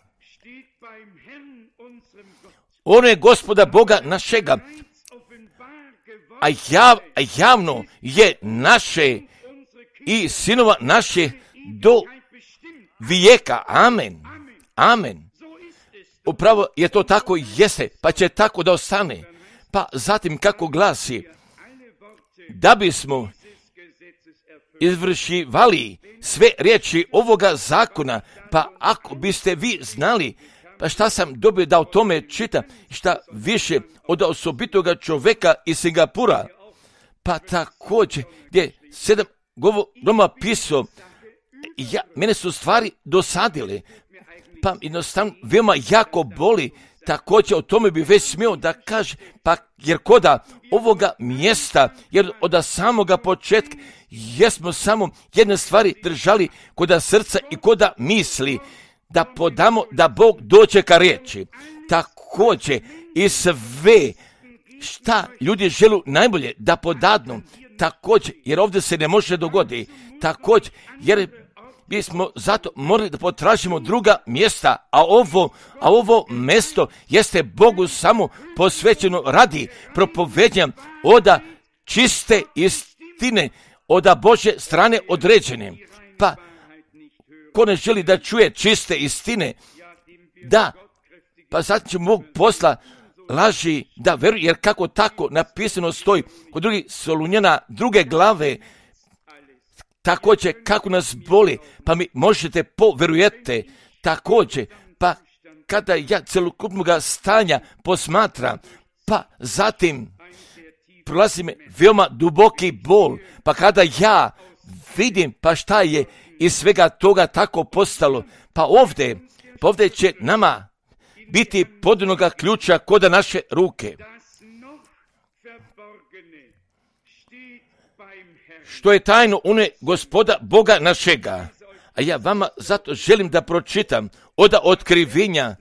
Ono je Gospoda Boga našega, a javno je naše i sinova naše do vijeka. Amen. Amen. Upravo je to tako jeste, pa će tako da ostane. Pa zatim kako glasi, da bismo izvršivali sve riječi ovoga zakona, pa ako biste vi znali, pa šta sam dobio da o tome čitam, šta više od osobitoga čoveka iz Singapura, pa također gdje 7 gromova pisao, mene su stvari dosadile, pa jednostavno veoma jako boli, također o tome bi već smio da kaže, pa jer koda ovoga mjesta, jer od samoga početka jesmo samo jedne stvari držali koda srca i koda misli, da podamo da Bog dođe ka riječi. Također i sve šta ljudi žele najbolje da podadnu, također, jer ovdje se ne može dogoditi, također, jer bismo zato morali da potražimo druga mjesta, a ovo mjesto jeste Bogu samo posvećeno radi propovednja od čiste istine, od Božje strane određene. Pa ko ne želi da čuje čiste istine, da, pa sad će Bog posla laži da veruje, jer kako tako napisano stoji kod drugih Solunjana 2. glave, također kako nas boli, pa mi možete poverujete, također, pa kada ja celokupnoga stanja posmatram, pa zatim prolazi me veoma duboki bol, pa kada ja vidim pa šta je iz svega toga tako postalo, pa ovdje će nama biti podanoga ključa kod naše ruke. što je tajno une Gospoda Boga našega. A ja vama zato želim da pročitam od Otkrivenja,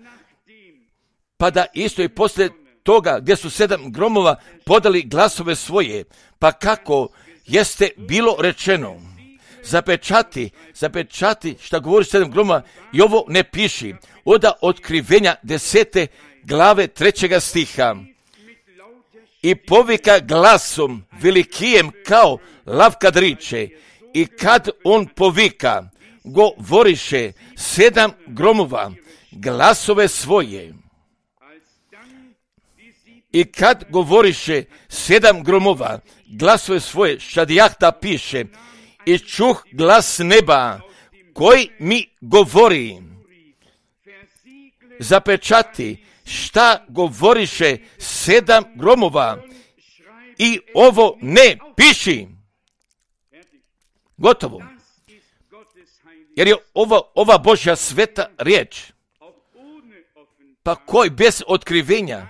pa da isto i poslije toga gdje su 7 gromova podali glasove svoje, pa kako jeste bilo rečeno, zapečati šta govori 7 gromova i ovo ne piši. Od Otkrivenja 10. glave 3. stiha. I povika glasom velikijem kao lav kad riče, i kad on povika, govoriše 7 gromova glasove svoje. I kad govoriše 7 gromova glasove svoje, Šadijahta piše, i čuh glas neba koji mi govori, zapečati šta govoriše 7 gromova i ovo ne piši. Gotovo. Jer je ova Božja sveta riječ, pa koji bez otkrivenja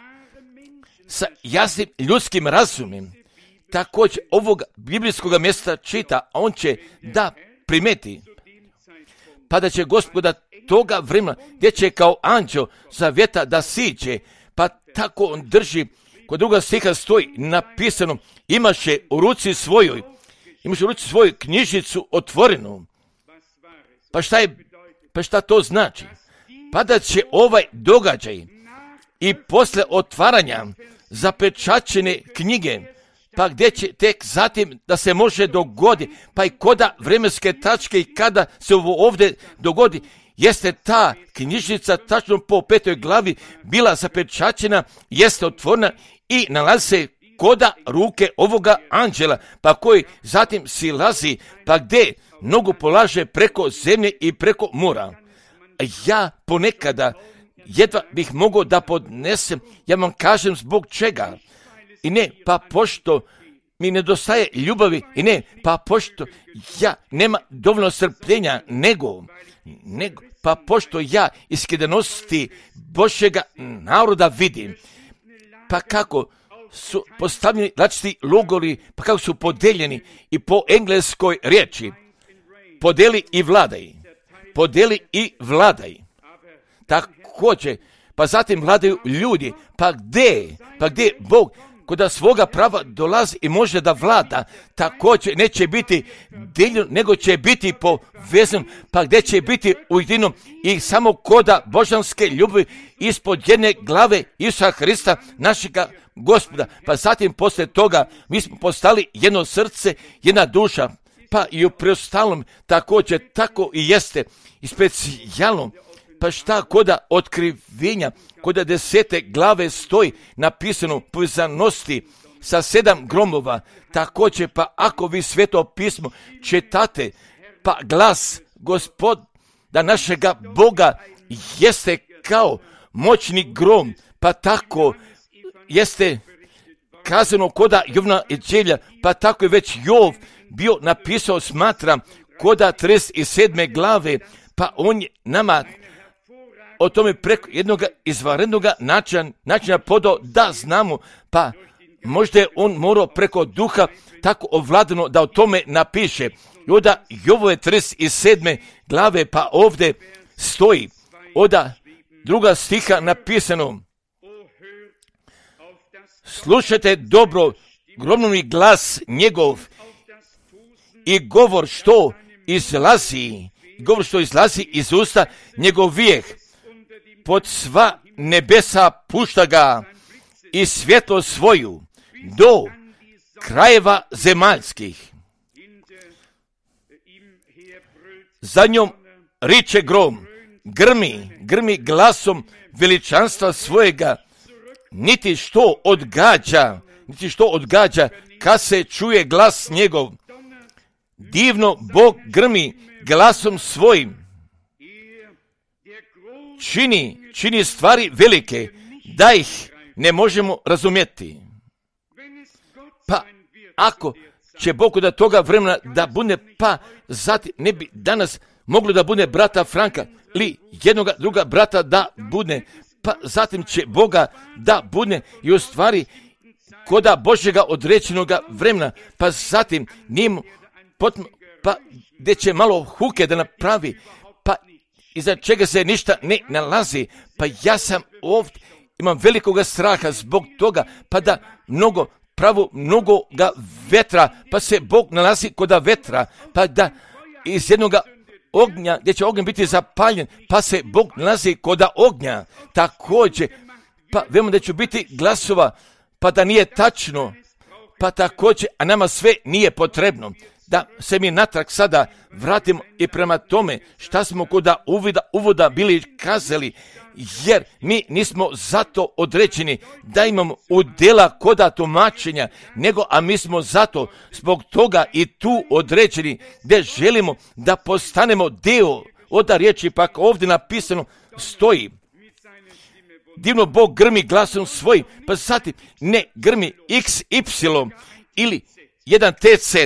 sa jasnim ljudskim razumom također ovog biblijskog mjesta čita, a on će da primeti, pa da će Gospoda toga vremena gdje će kao anđeo zavjeta da siđe, pa tako on drži, kod druga stiha stoji napisano, imaše u ruci svojoj knjižicu otvorenu. Pa šta to znači? Pa da će ovaj događaj i posle otvaranja zapečaćene knjige, pa gdje će tek zatim da se može dogodi, pa i koda vremenske tačke i kada se ovo ovdje dogodi, jeste ta knjižnica tačno po 5. glavi bila zapečaćena, jeste otvorena i nalazi se koda ruke ovoga anđela, pa koji zatim silazi, pa gdje nogu polaže preko zemlje i preko mora. Ja ponekada jedva bih mogao da podnesem, ja vam kažem zbog čega. I ne, pa pošto mi nedostaje ljubavi, i ne, pa pošto ja nema dovoljno strpljenja, nego, pa pošto ja iskrenosti Božjega naroda vidim, pa kako su postavljeni različiti logori, pa kako su podeljeni i po engleskoj riječi, podeli i vladaj. Također, pa zatim vladaju ljudi, pa gdje Bog kod svoga prava dolazi i može da vlada, također neće biti dijeljen, nego će biti povezan, pa gdje će biti ujedinjen i samo koda božanske ljubavi ispod jedne glave Isusa Hrista, našega Gospoda. Pa zatim poslije toga mi smo postali jedno srce, jedna duša, pa i u preostalom također tako i jeste i specijalno. Pa šta koda otkrivenja, koda 10. glave stoji napisano povezanosti sa 7 gromova, također pa ako vi Sveto pismo čitate, pa glas Gospoda našega Boga jeste kao moćni grom, pa tako jeste kazano koda Jovna Evanđelja, pa tako je već Jov bio napisao, smatram, koda 37. glave, pa on je nama o tome preko jednog izvanrednog načina podao da znamo, pa možda je on morao preko duha tako ovladano da o tome napiše. I onda Jovove 37. glave, pa ovdje stoji, oda 2. stiha napisano, slušajte dobro gromnovni glas njegov i govor što izlazi iz usta njegovijeh. Pod sva nebesa pušta ga i svjetlo svoju do krajeva zemaljskih. Za njom riče grom, grmi glasom veličanstva svojega, niti što odgađa kad se čuje glas njegov. Divno Bog grmi glasom svojim, čini stvari velike, da ih ne možemo razumjeti. Pa ako će Bog da toga vremena da bude, pa zatim ne bi danas moglo da bude brata Franka ili jednog druga brata da bude, pa zatim će Boga da bude i u stvari koda Božjega određenog vremena, pa zatim pa gdje će malo huke da napravi, pa iza čega se ništa ne nalazi, pa ja sam ovdje, imam velikoga straha zbog toga, pa da mnogoga vetra, pa se Bog nalazi koda vetra, pa da iz jednoga ognja, gdje će ognjen biti zapaljen, pa se Bog nalazi koda ognja. Također, pa vemo da će biti glasova, pa da nije tačno, pa također, a nama sve nije potrebno. Da se mi natrag sada vratimo i prema tome šta smo koda uvoda bili kazali, jer mi nismo zato određeni da imamo udjela koda tumačenja, a mi smo zato zbog toga i tu određeni gdje želimo da postanemo dio od riječi, pa ovdje napisano stoji. Divno Bog grmi glasom svojim, pa zatim ne grmi XY ili jedan TC,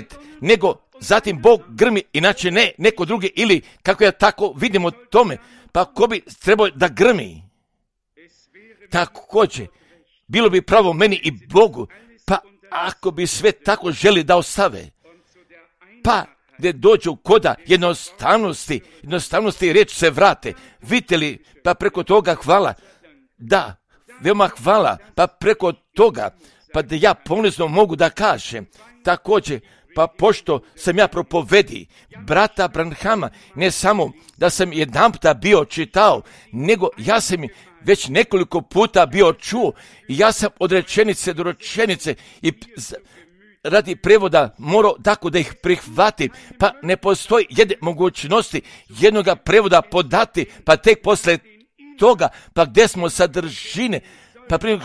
nego zatim Bog grmi, inače ne neko drugi, ili kako ja tako vidimo tome, pa ko bi trebao da grmi? Također, bilo bi pravo meni i Bogu, pa ako bi sve tako želi da ostave, pa gdje dođu koda jednostavnosti riječ se vrate. Vidite li, pa preko toga hvala, da, veoma hvala, pa preko toga, pa da ja ponizno mogu da kažem, također, pa pošto sam ja propovedi brata Branhama, ne samo da sam jedanputa bio čitao, nego ja sam već nekoliko puta bio čuo i ja sam od rečenice do rečenice i radi prevoda morao tako da ih prihvatim, pa ne postoji jedne mogućnosti jednoga prevoda podati, pa tek posle toga, pa gdje smo sadržine, pa prije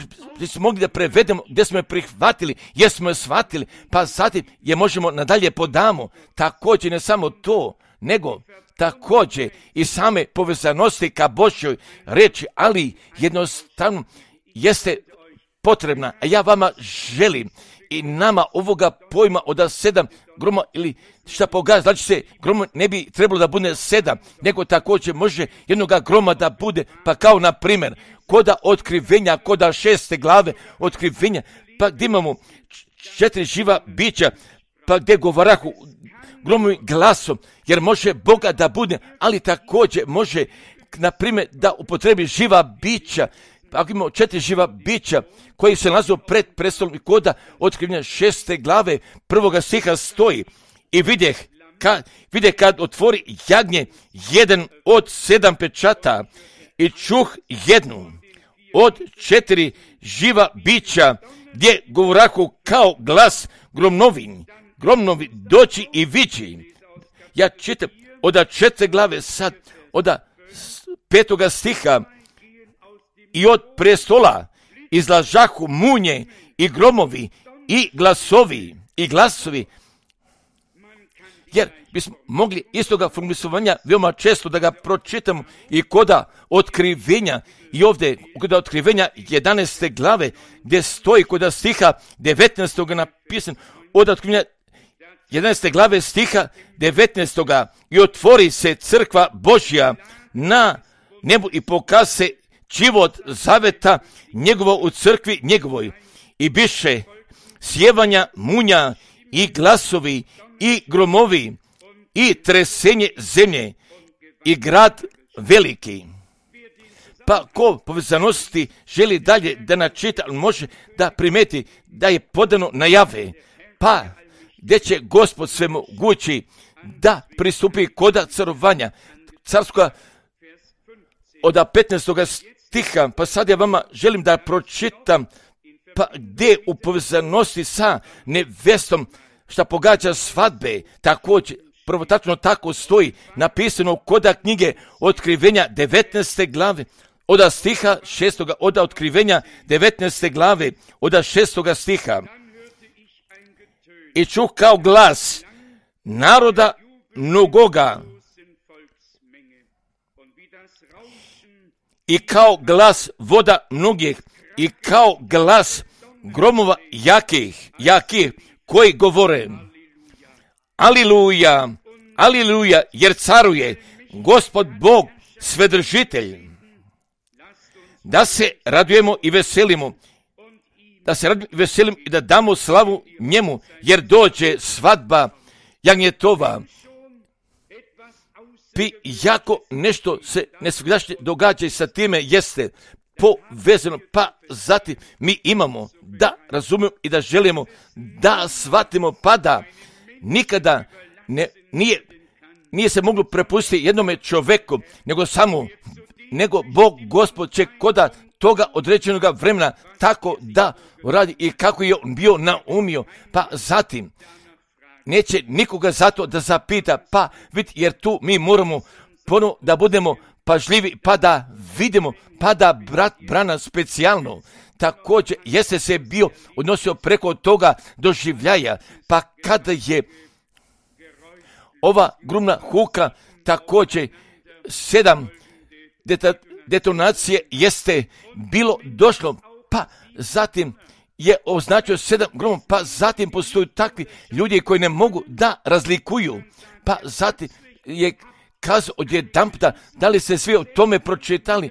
smo mogli da prevedemo gdje smo je prihvatili, jer smo je shvatili, pa zatim je možemo nadalje podamo. Također ne samo to, nego također i same povezanosti ka Božjoj reči, ali jednostavno jeste potrebna, a ja vama želim i nama ovoga pojma od 7 groma ili šta pogađa, znači se groma ne bi trebalo da bude 7, nego također može jednoga groma da bude, pa kao na primjer koda otkrivenja, koda 6. glave otkrivenja, pa gdje imamo 4 živa bića, pa gdje govarahu gromovim glasom, jer može Boga da bude, ali također može, na primjer, da upotrebi živa bića. Ako imamo 4 živa bića koji se nalaze pred prestolom i koda otkrivenja 6. glave 1. stiha stoji i vide kad otvori jagnje jedan od 7 pečata i čuh jednu od 4 živa bića gdje govorahu kao glas gromnovi doći i vići. Ja čitam od 4. glave sad, od 5. stiha, i od prestola izlažahu munje i gromovi i glasovi, jer bismo mogli istoga formulisovanja veoma često da ga pročitamo i koda otkrivenja, i ovdje koda otkrivenja 11. glave gdje stoji koda stiha 19. napisan, od otkrivenja 11. glave stiha 19. i otvori se crkva Božja na nebu i pokaže se život zaveta njegova u crkvi njegovoj i biše sjevanja munja i glasovi i gromovi i tresenje zemlje i grad veliki. Pa ko povezanosti želi dalje da načita, može da primeti da je podano najave, pa gdje će Gospod svemogući da pristupi koda carovanja carskoga od 15. stiha, pa sad ja vama želim da pročitam, pa gdje u povezanosti sa nevestom šta pogađa svadbe, također, prvotačno tako stoji napisano koda knjige otkrivenja 19. glave, od stiha 6. od otkrivenja 19. glave, od 6. stiha. I čuh kao glas naroda mnogoga, i kao glas voda mnogih, i kao glas gromova jakih, koji govore: Aliluja, aliluja, jer caruje Gospod Bog svedržitelj. Da se radujemo i veselimo, i da damo slavu njemu, jer dođe svadba jagnjetova, jako nešto se nesvugdašnje događa i sa time jeste povezano, pa zatim mi imamo da razumijemo i da želimo da shvatimo, pa da nikada nije se moglo prepustiti jednome čovjeku, nego Bog Gospod će koda toga određenog vremena tako da radi i kako je on bio naumio, pa zatim neće nikoga zato da zapita, pa vidi, jer tu mi moramo ponovo da budemo pažljivi, pa da vidimo, pa da brat Branham specijalno također jeste se bio odnosio preko toga doživljaja, pa kada je ova grumna huka također 7 detonacije jeste bilo došlo, pa zatim je označio 7 gromova, pa zatim postoju takvi ljudi koji ne mogu da razlikuju, pa zatim je kazao odjedanputa, da li ste svi o tome pročitali,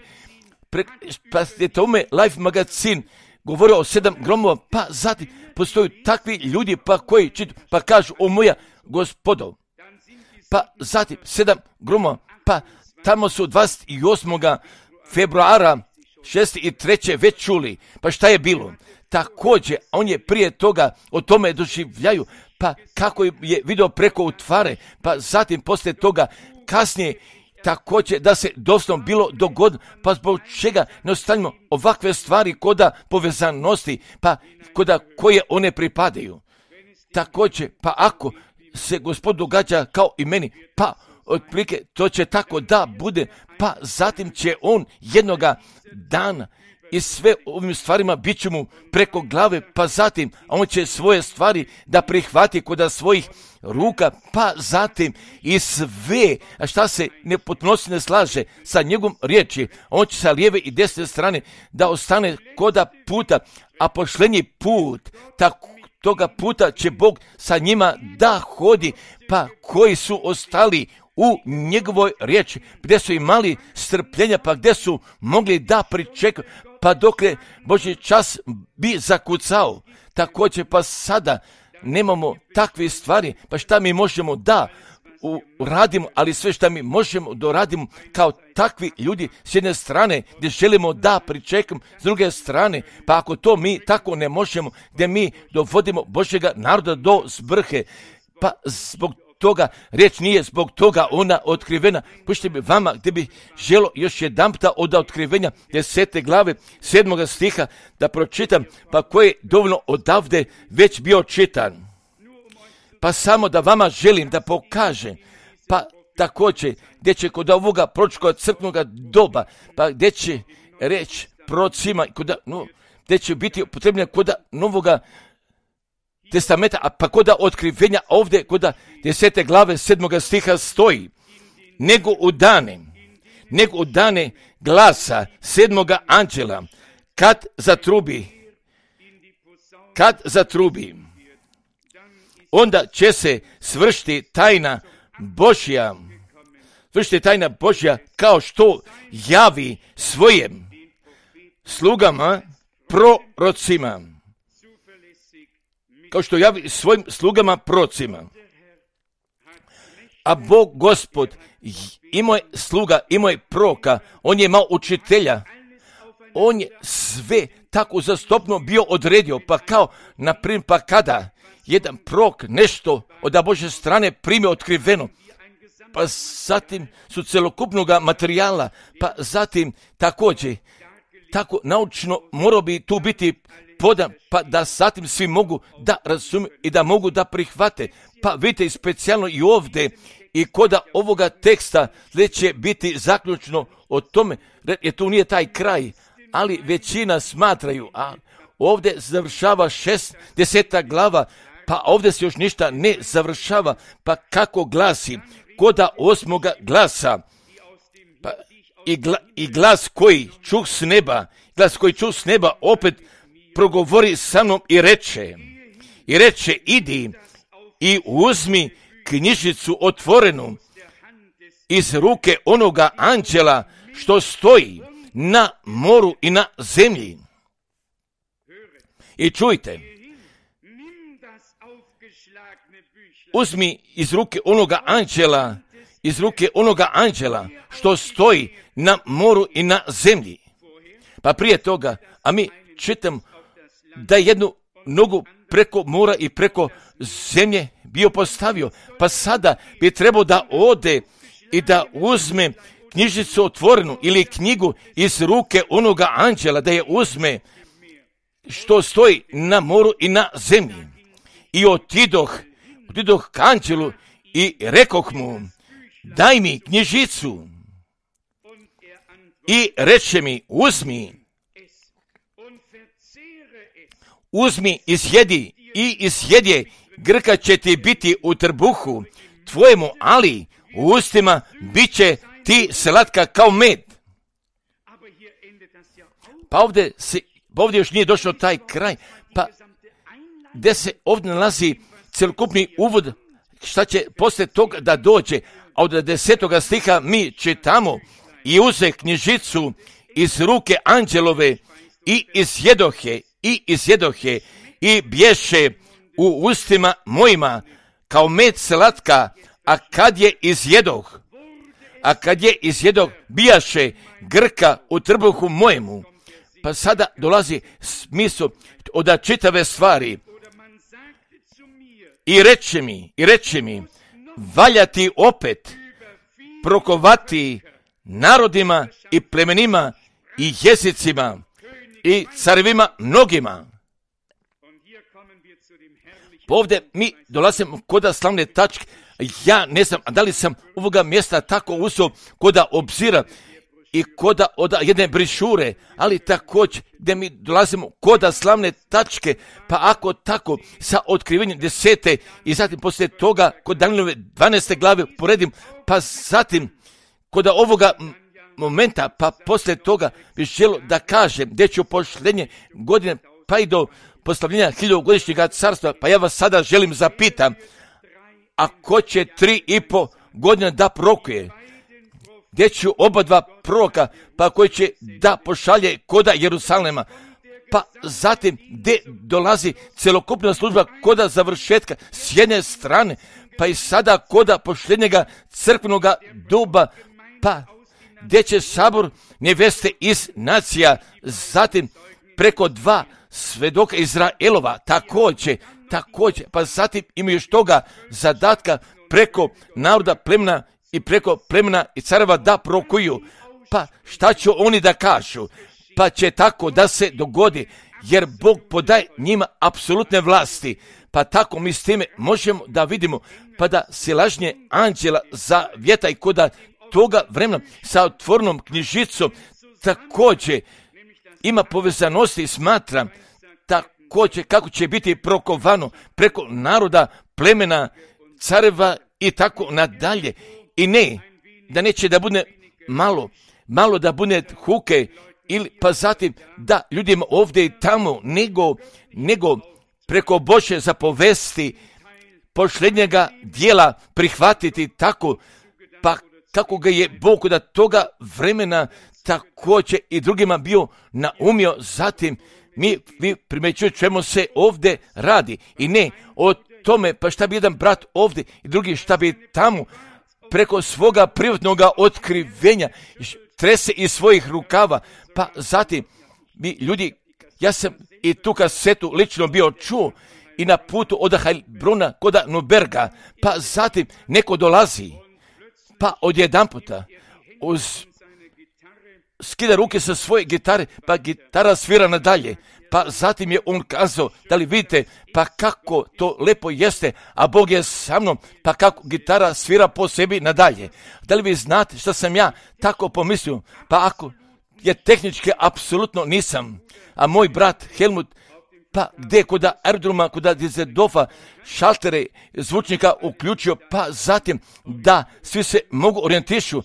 pa je tome Life magazin govorio o 7 gromova, pa zatim postoju takvi ljudi pa koji čitu, pa kažu, o moja gospodo, pa zatim 7 gromova, pa tamo su 28. februara 6.3. već čuli, pa šta je bilo? Također, on je prije toga o tome doživljaju, pa kako je vidio preko utvare, pa zatim poslije toga kasnije također da se doslovno bilo dogodilo, pa zbog čega ne ostavimo ovakve stvari koda povezanosti, pa koda koje one pripadaju. Također, pa ako se Gospod događa kao i meni, pa otprilike to će tako da bude, pa zatim će on jednoga dana i sve ovim stvarima bit će mu preko glave, pa zatim on će svoje stvari da prihvati kod svojih ruka, pa zatim i sve, a šta se ne potpunosti ne slaže sa njegovom riječi, on će sa lijeve i desne strane da ostane koda puta, a pošlenji put, toga puta će Bog sa njima da hodi, pa koji su ostali u njegovoj riječi, gdje su imali strpljenja, pa gdje su mogli da pričekaju, pa dokle Božji čas bi zakucao. Također, pa sada nemamo takve stvari, pa šta mi možemo da uradimo, ali sve šta mi možemo da uradimo kao takvi ljudi s jedne strane gdje želimo da pričekamo, s druge strane, pa ako to mi tako ne možemo, gdje mi dovodimo Božjega naroda do zbrhe, pa zbog toga, riječ nije zbog toga ona otkrivena. Pušite mi vama gdje bi želo još jedanputa od otkrivenja 10. glave 7. stiha da pročitam, pa koji je dovoljno odavde već bio čitan. Pa samo da vama želim da pokažem, pa također gdje će kod ovoga proročkog crkvenog doba, pa gdje će reći prorocima, gdje će biti upotrebljena kod Novoga testamenta, a pa kod otkrivenja ovdje kod 10. glave 7. stiha stoji, nego u dane glasa 7. anđela, kad zatrubi, onda će se svršiti tajna Božja, kao što javi svojim slugama prorocima. A Bog Gospod imao je sluga, imao je proroka, on je imao učitelja, on je sve tako zastopno bio odredio, pa kao, naprimjer, pa kada jedan prorok nešto od Božje strane prime otkriveno, pa zatim su celokupnog materijala, pa zatim također, tako naučno mora bi tu biti podan, pa da zatim svi mogu da razumiju i da mogu da prihvate. Pa vidite, specijalno i ovdje i kod ovoga teksta će biti zaključno o tome, jer tu nije taj kraj, ali većina smatraju, a ovdje završava 10. glava, pa ovdje se još ništa ne završava, pa kako glasi, kod 8. glasa, pa i glas koji čuh s neba, opet progovori sa mnom i reče, idi i uzmi knjižicu otvorenu iz ruke onoga anđela što stoji na moru i na zemlji. I čujte, uzmi iz ruke onoga anđela što stoji na moru i na zemlji. Pa prije toga, a mi čitam da je jednu nogu preko mora i preko zemlje bio postavio, pa sada bi trebao da ode i da uzme knjižicu otvorenu ili knjigu iz ruke onoga anđela, da je uzme što stoji na moru i na zemlji. I otidoh k anđelu i rekoh mu, daj mi knjižicu. I reče mi, uzmi i isjedi, grka će ti biti u trbuhu tvojemu, ali u ustima bit će ti slatka kao med. Pa ovdje još nije došao taj kraj, pa gdje se ovdje nalazi cjelokupni uvod šta će poslije toga da dođe, a od 10. stiha mi čitamo, i uze knjižicu iz ruke anđelove i izjedohe i bješe u ustima mojima kao med slatka, a kad je izjedoh, bijaše grka u trbuhu mojemu. Pa sada dolazi smisao od čitave stvari. I reče mi, valja ti opet prokovati narodima i plemenima i jezicima i carevima mnogima. Ovdje mi dolazimo kod slavne tačke. Ja ne znam da li sam ovoga mjesta tako uzeo kod obzira i kod od jedne brišure, ali također gdje mi dolazimo kod slavne tačke, pa ako tako sa otkrivenjem 10. i zatim poslije toga kod Danilove 12. glave poredim, pa zatim kod ovoga momenta, pa poslije toga bih želio da kažem gdje ću pošljenje godine pa i do postavljenja 1000-godišnjega carstva, pa ja vas sada želim zapitam, a ko će 3,5 godine da prorokuje? Gdje ću oba dva proroka, pa koji će da pošalje koda Jerusalema, pa zatim gdje dolazi celokupna služba koda završetka s jedne strane, pa i sada koda pošljenjega crkvenoga duba, pa gdje će sabor neveste iz nacija, zatim preko 2 svedoka Izraelova, također, pa zatim imaju još toga zadatka preko naroda, plemena i preko plemena i careva da prorokuju. Pa šta će oni da kažu? Pa će tako da se dogodi, jer Bog podaje njima apsolutne vlasti. Pa tako mi s time možemo da vidimo, pa da silažnje anđela zavjeta i koda toga vremena sa otvorenom knjižicom također ima povezanosti i smatram također kako će biti prokovano preko naroda, plemena, careva i tako nadalje. I ne, da neće da bude malo da bude huke ili pa zatim da ljudima ovdje i tamo, nego preko Božje zapovesti posljednjega dijela prihvatiti tako, pa kako ga je Bog da toga vremena također i drugima bio naumio. Zatim vi primjećujete čemu se ovdje radi i ne o tome pa šta bi jedan brat ovdje i drugi šta bi tamo preko svoga privatnog otkrivenja trese iz svojih rukava. Pa zatim mi ljudi, ja sam i tu kasetu lično bio čuo i na putu od Heilbrona kod Nuberga, pa zatim neko dolazi, pa odjedanputa skida ruke sa svoje gitare, pa gitara svira nadalje. Pa zatim je on kazao, da li vidite, pa kako to lepo jeste, a Bog je sa mnom, pa kako gitara svira po sebi nadalje. Da li vi znate što sam ja tako pomislio? Pa ako je tehnički apsolutno nisam, a moj brat Helmut, pa gdje kod aerodroma, kod Dizedorfa šaltere zvučnika uključio, pa zatim da svi se mogu orijentišu,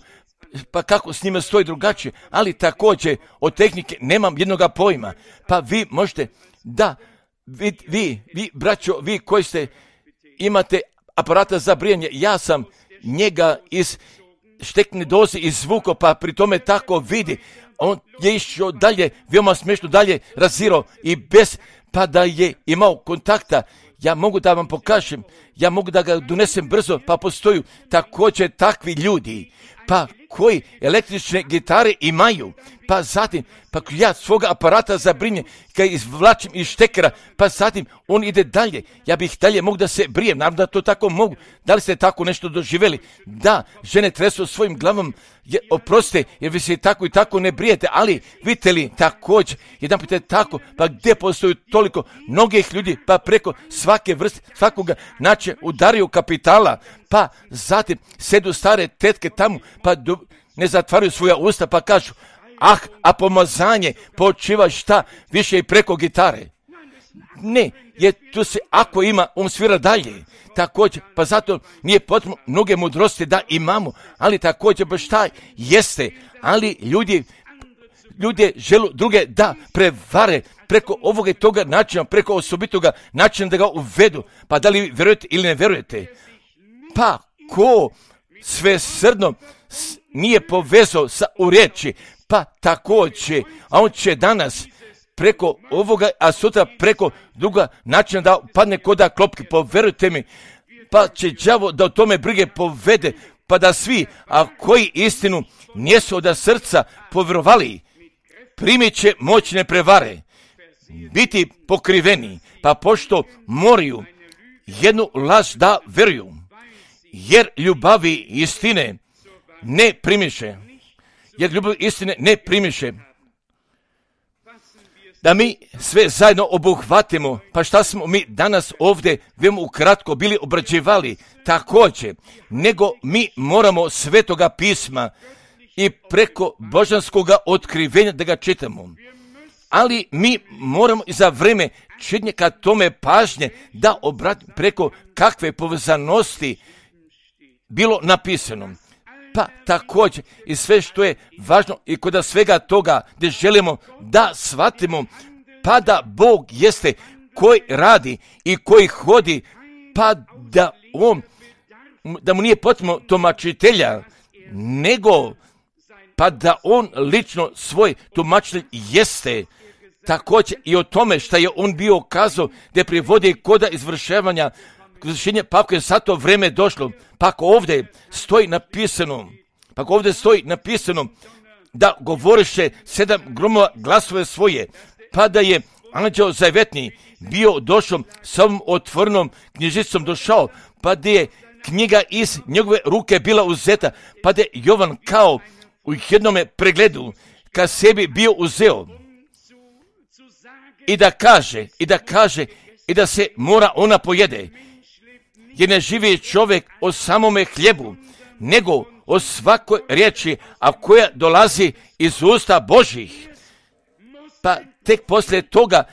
pa kako s njima stoji drugačije, ali također od tehnike nemam jednoga pojma. Pa vi možete, da, vi braćo, vi koji imate aparata za brijanje, ja sam njega iz štekne doze izvukao, pa pri tome tako vidi. On je išao dalje, veoma smiješno dalje razirao i bez, pa da je imao kontakta, Ja mogu da vam pokažem, ja mogu da ga donesem brzo, pa postoju također takvi ljudi, pa koji električne gitare imaju, pa zatim, pa ja svoga aparata za brinje, kad izvlačim iz štekera, pa zatim on ide dalje, ja bih dalje mogu da se brijem, naravno da to tako mogu. Da li ste tako nešto doživjeli? Da, žene tresu svojim glavom, oprostite, jer vi se tako i tako ne brijete, ali vidite li također, jedan put je tako, pa gdje postoji toliko mnogih ljudi, pa preko svake vrste, svakoga načina udaraju kapitala, pa zatim sedu stare tetke tamo, pa ne zatvaraju svoja usta, pa kažu, a pomazanje počiva šta više i preko gitare. Ne, jer tu se, ako ima, on svira dalje. Također, pa zato nije potrebno mnoge mudrosti da imamo, ali također baš taj jeste, ali ljudi žele druge da prevare preko ovoga i toga načina, preko osobitoga načina da ga uvedu. Pa da li vjerujete ili ne vjerujete? Pa ko svesrdno nije povezao u riječi, pa također, a on će danas preko ovoga, a sutra preko druga načina da padne koda klopke, poverujte mi, pa će đavo da o tome brige povede, pa da svi, a koji istinu nijesu od srca povjerovali, primit će moćne prevare, biti pokriveni, pa pošto moraju jednu laž da veruju, jer ljubavi istine ne primiše, da mi sve zajedno obuhvatimo, pa šta smo mi danas ovdje veoma ukratko bili obrađivali također, nego mi moramo Svetoga pisma i preko božanskoga otkrivenja da ga čitamo. Ali mi moramo i za vreme čitanja kad tome pažnje da obratimo preko kakve povezanosti bilo napisano. Pa također i sve što je važno i kod svega toga gdje želimo da shvatimo, pa da Bog jeste koji radi i koji hodi, pa da mu nije potrebno tumačitelja, nego pa da on lično svoj tumačitelj jeste. Također i o tome što je on bio kazao da privodi koda izvršenja, pa ako je sad to vreme došlo, pa ako ovdje stoji napisano, da govoriše 7 gromova glasove svoje, pa da je anđeo zavetni bio došao s ovom otvorenom knjižicom došao, pa da je knjiga iz njegove ruke bila uzeta, pa da je Jovan kao u jednome pregledu ka sebi bio uzeo i da se mora ona pojede, jer ne živi čovjek o samome hljebu, nego o svakoj riječi, a koja dolazi iz usta Božjih. Pa tek poslije toga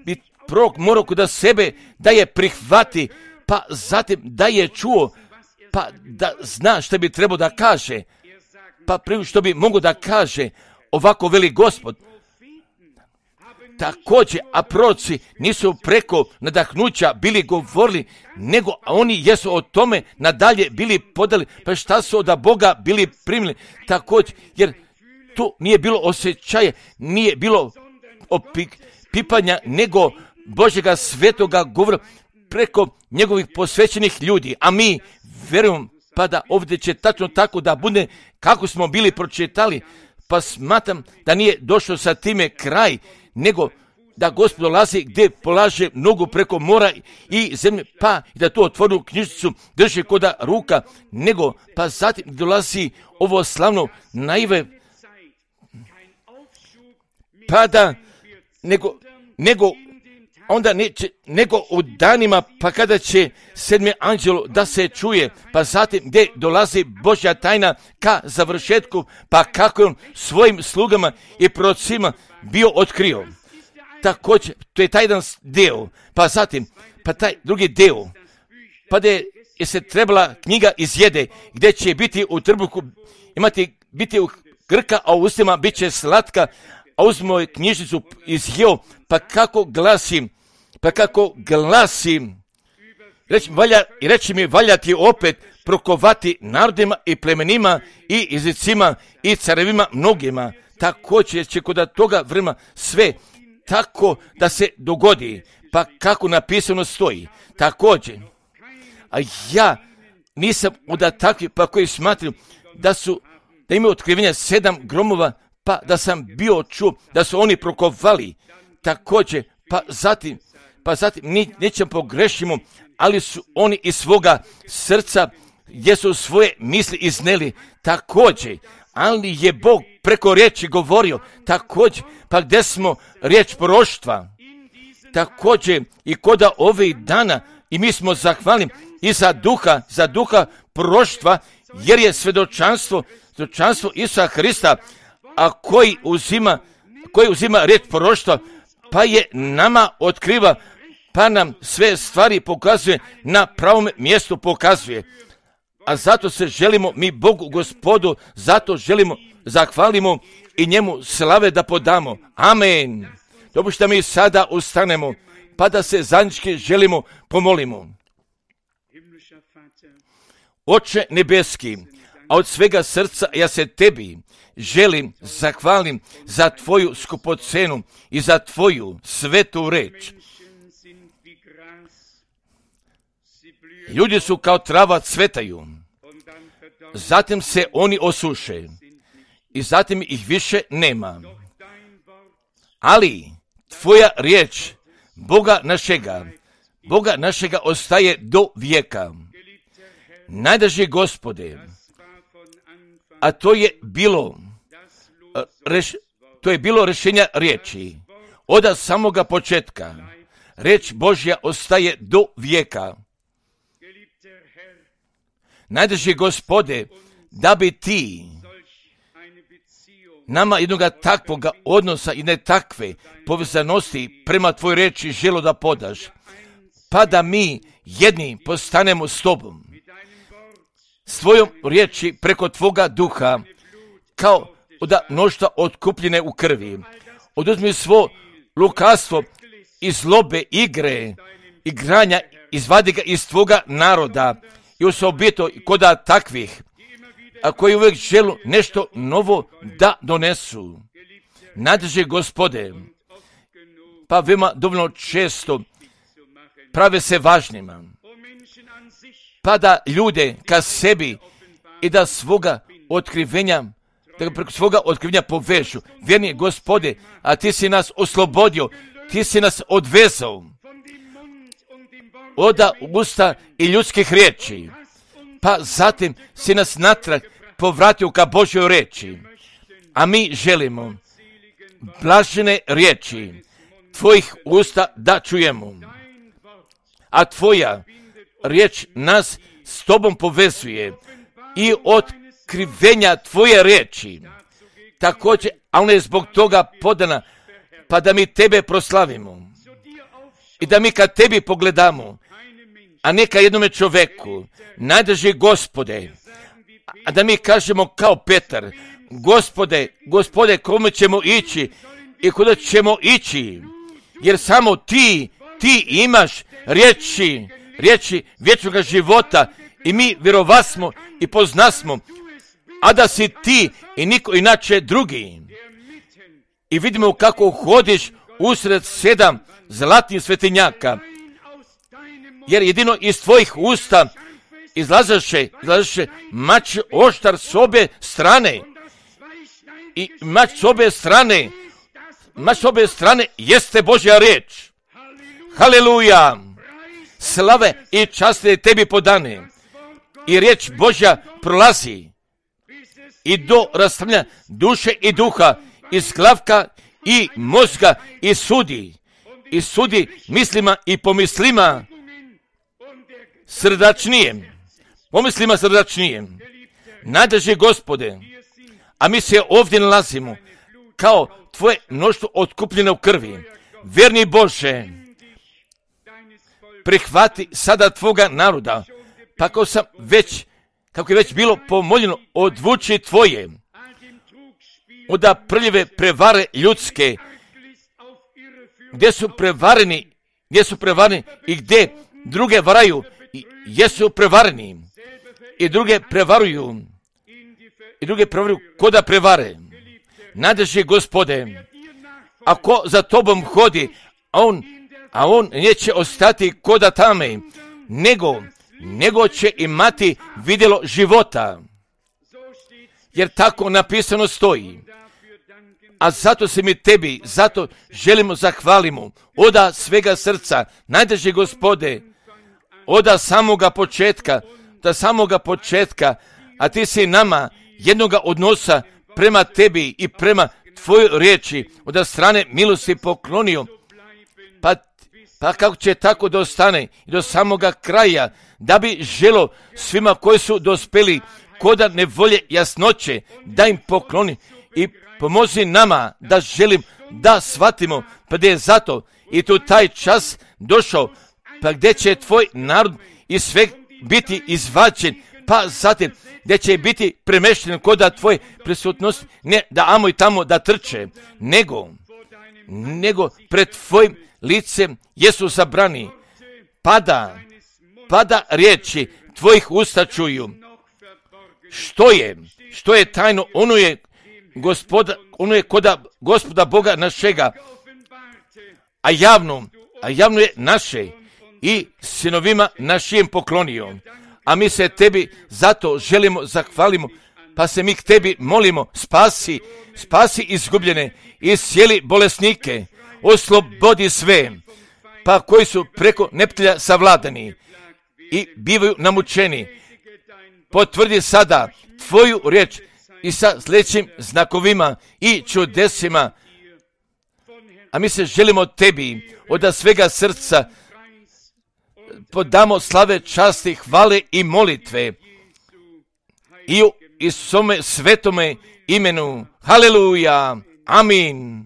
bi prorok morao kod sebe da je prihvati, pa zatim da je čuo, pa da zna što bi trebao da kaže, pa prije što bi mogao da kaže, ovako veli Gospod. Također, a proroci nisu preko nadahnuća bili govorili, nego oni jesu o tome nadalje bili podali, pa šta su od Boga bili primili. Također, jer tu nije bilo osjećaje, nije bilo pipanja, nego Božjega svetoga govora preko njegovih posvećenih ljudi. A mi vjerujemo, pa da ovdje će tačno tako da bude kako smo bili pročitali, pa smatram da nije došlo sa time kraj, nego da Gospod dolazi gdje polaže nogu preko mora i zemlje, pa i da tu otvorenu knjižicu drži koda ruka, nego pa zatim dolazi ovo slavno naive, pa da nego u danima, pa kada će 7. anđelo da se čuje, pa zatim gdje dolazi Božja tajna ka završetku, pa kako je on svojim slugama i prorocima bio otkrio. Također, to je taj jedan deo, pa zatim, pa taj drugi deo, pa da je se trebala knjiga izjede, gdje će biti u trbuhu, biti u grka, a u ustima bit će slatka, a uzmo je knjižnicu izjeo, pa kako glasi, reći mi valja ti opet prokovati narodima i plemenima i jezicima i carevima mnogima. Također će kod toga vremena sve tako da se dogodi, pa kako napisano stoji. Također, a ja nisam od takvih pa koji smatram da imaju otkrivenja 7 gromova, pa da sam bio čuo da su oni prokovali. Također, pa zatim nećemo pogrešimo, ali su oni iz svoga srca gdje su svoje misli izneli. Također, ali je Bog preko riječi govorio. Također, pa gdje smo riječ proroštva. Također, i koda ovih dana, i mi smo zahvalni i za duha proroštva, jer je svjedočanstvo Isusa Hrista, a koji uzima riječ proroštva, pa je nama otkriva, pa nam sve stvari pokazuje, na pravom mjestu pokazuje. A zato se želimo mi Bogu Gospodu, zato želimo zahvalimo i njemu slave da podamo. Amen. Dopušta mi sada ustanemo, pa da se zajednički želimo pomolimo. Oče nebeski, a od svega srca ja se tebi želim zahvalim za tvoju skupocenu i za tvoju svetu reč. Ljudi su kao trava, cvetaju, zatim se oni osuše i zatim ih više nema. Ali tvoja riječ Boga našega ostaje do vijeka. Najdraži Gospode, a to je bilo rješenja riječi od samoga početka. Riječ Božja ostaje do vijeka. Najdraži Gospode, da bi ti nama jednoga takvoga odnosa i ne takve povezanosti prema tvoj riječi želo da podaš, pa da mi jedni postanemo s tobom, s tvojom riječi preko tvoga duha, kao od mnoštva otkupljene u krvi. Oduzmi svo lukavstvo i zlobe, igranja, izvadi ga iz tvoga naroda i osobito koda takvih, a koji uvijek želu nešto novo da donesu. Najdraži Gospode, pa veoma dovoljno često prave se važnima, pa da ljude ka sebi i da preko svoga otkrivenja povežu. Vjerni Gospode, a ti si nas oslobodio, ti si nas odvezao od usta i ljudskih riječi, pa zatim si nas natrag povratio ka Božjoj riječi. A mi želimo blažene riječi tvojih usta da čujemo. A tvoja riječ nas s tobom povezuje i otkrivenja tvoje riječi. Također, a ona je zbog toga podana, pa da mi tebe proslavimo i da mi kad tebi pogledamo, a ne ka jednome čoveku. Najdraži Gospode, a da mi kažemo kao Petar, Gospode, kome ćemo ići i kuda ćemo ići, jer samo ti imaš riječi vječnoga života i mi vjerovasmo i poznasmo, a da si ti i niko inače drugi. I vidimo kako hodiš usred 7 zlatnih svetinjaka, jer jedino iz tvojih usta izlazeše mač oštar s obje strane. I mač s obje strane jeste Božja riječ. Haleluja! Slave i časti tebi podane. I riječ Božja prolazi i do rastavljanja duše i duha, iz glavka i mozga i sudi mislima i pomislima srdačnijem. Najdraži Gospode, a mi se ovdje nalazimo kao tvoje mnoštvo otkupljene u krvi. Vjerni Bože, prihvati sada tvoga naroda, pa kako je već bilo pomoljeno, odvuči tvoje od prljave prevare ljudske, gdje su prevareni i gdje druge varaju, jesu prevareni i druge prevaruju koda prevare. Najdraži Gospode, ako za tobom hodi, a on neće ostati koda tame, nego će imati vidjelo života. Jer tako napisano stoji. A zato se mi tebi, zato želimo zahvalimo, oda svega srca, najdraži Gospode, oda samoga početka, a ti si nama jednoga odnosa prema tebi i prema tvojoj riječi, od strane milosti poklonio, pa kako će tako da ostane i do samoga kraja, da bi želo svima koji su dospeli koda nevolje jasnoće, da im pokloni i pomozi nama da želim da shvatimo, pa da je zato i tu taj čas došao, pa gdje će tvoj narod i sve biti izvađen, pa zatim gdje će biti premešten koda tvoje prisutnosti, ne da amo i tamo da trče, nego pred tvojim licem jesu zabrani, pada riječi tvojih usta čuju. Što je tajno, ono je koda Gospoda Boga našega, a javno je naše i sinovima našim poklonio. A mi se tebi zato želimo, zahvalimo, pa se mi k tebi molimo, spasi izgubljene i sjeli bolesnike, oslobodi sve, pa koji su preko neprijatelja savladani i bivaju namučeni. Potvrdi sada tvoju riječ i sa sljedećim znakovima i čudesima. A mi se želimo tebi od svega srca podamo slave, časti, hvale i molitve i u Isome svetome imenu. Haleluja. Amin.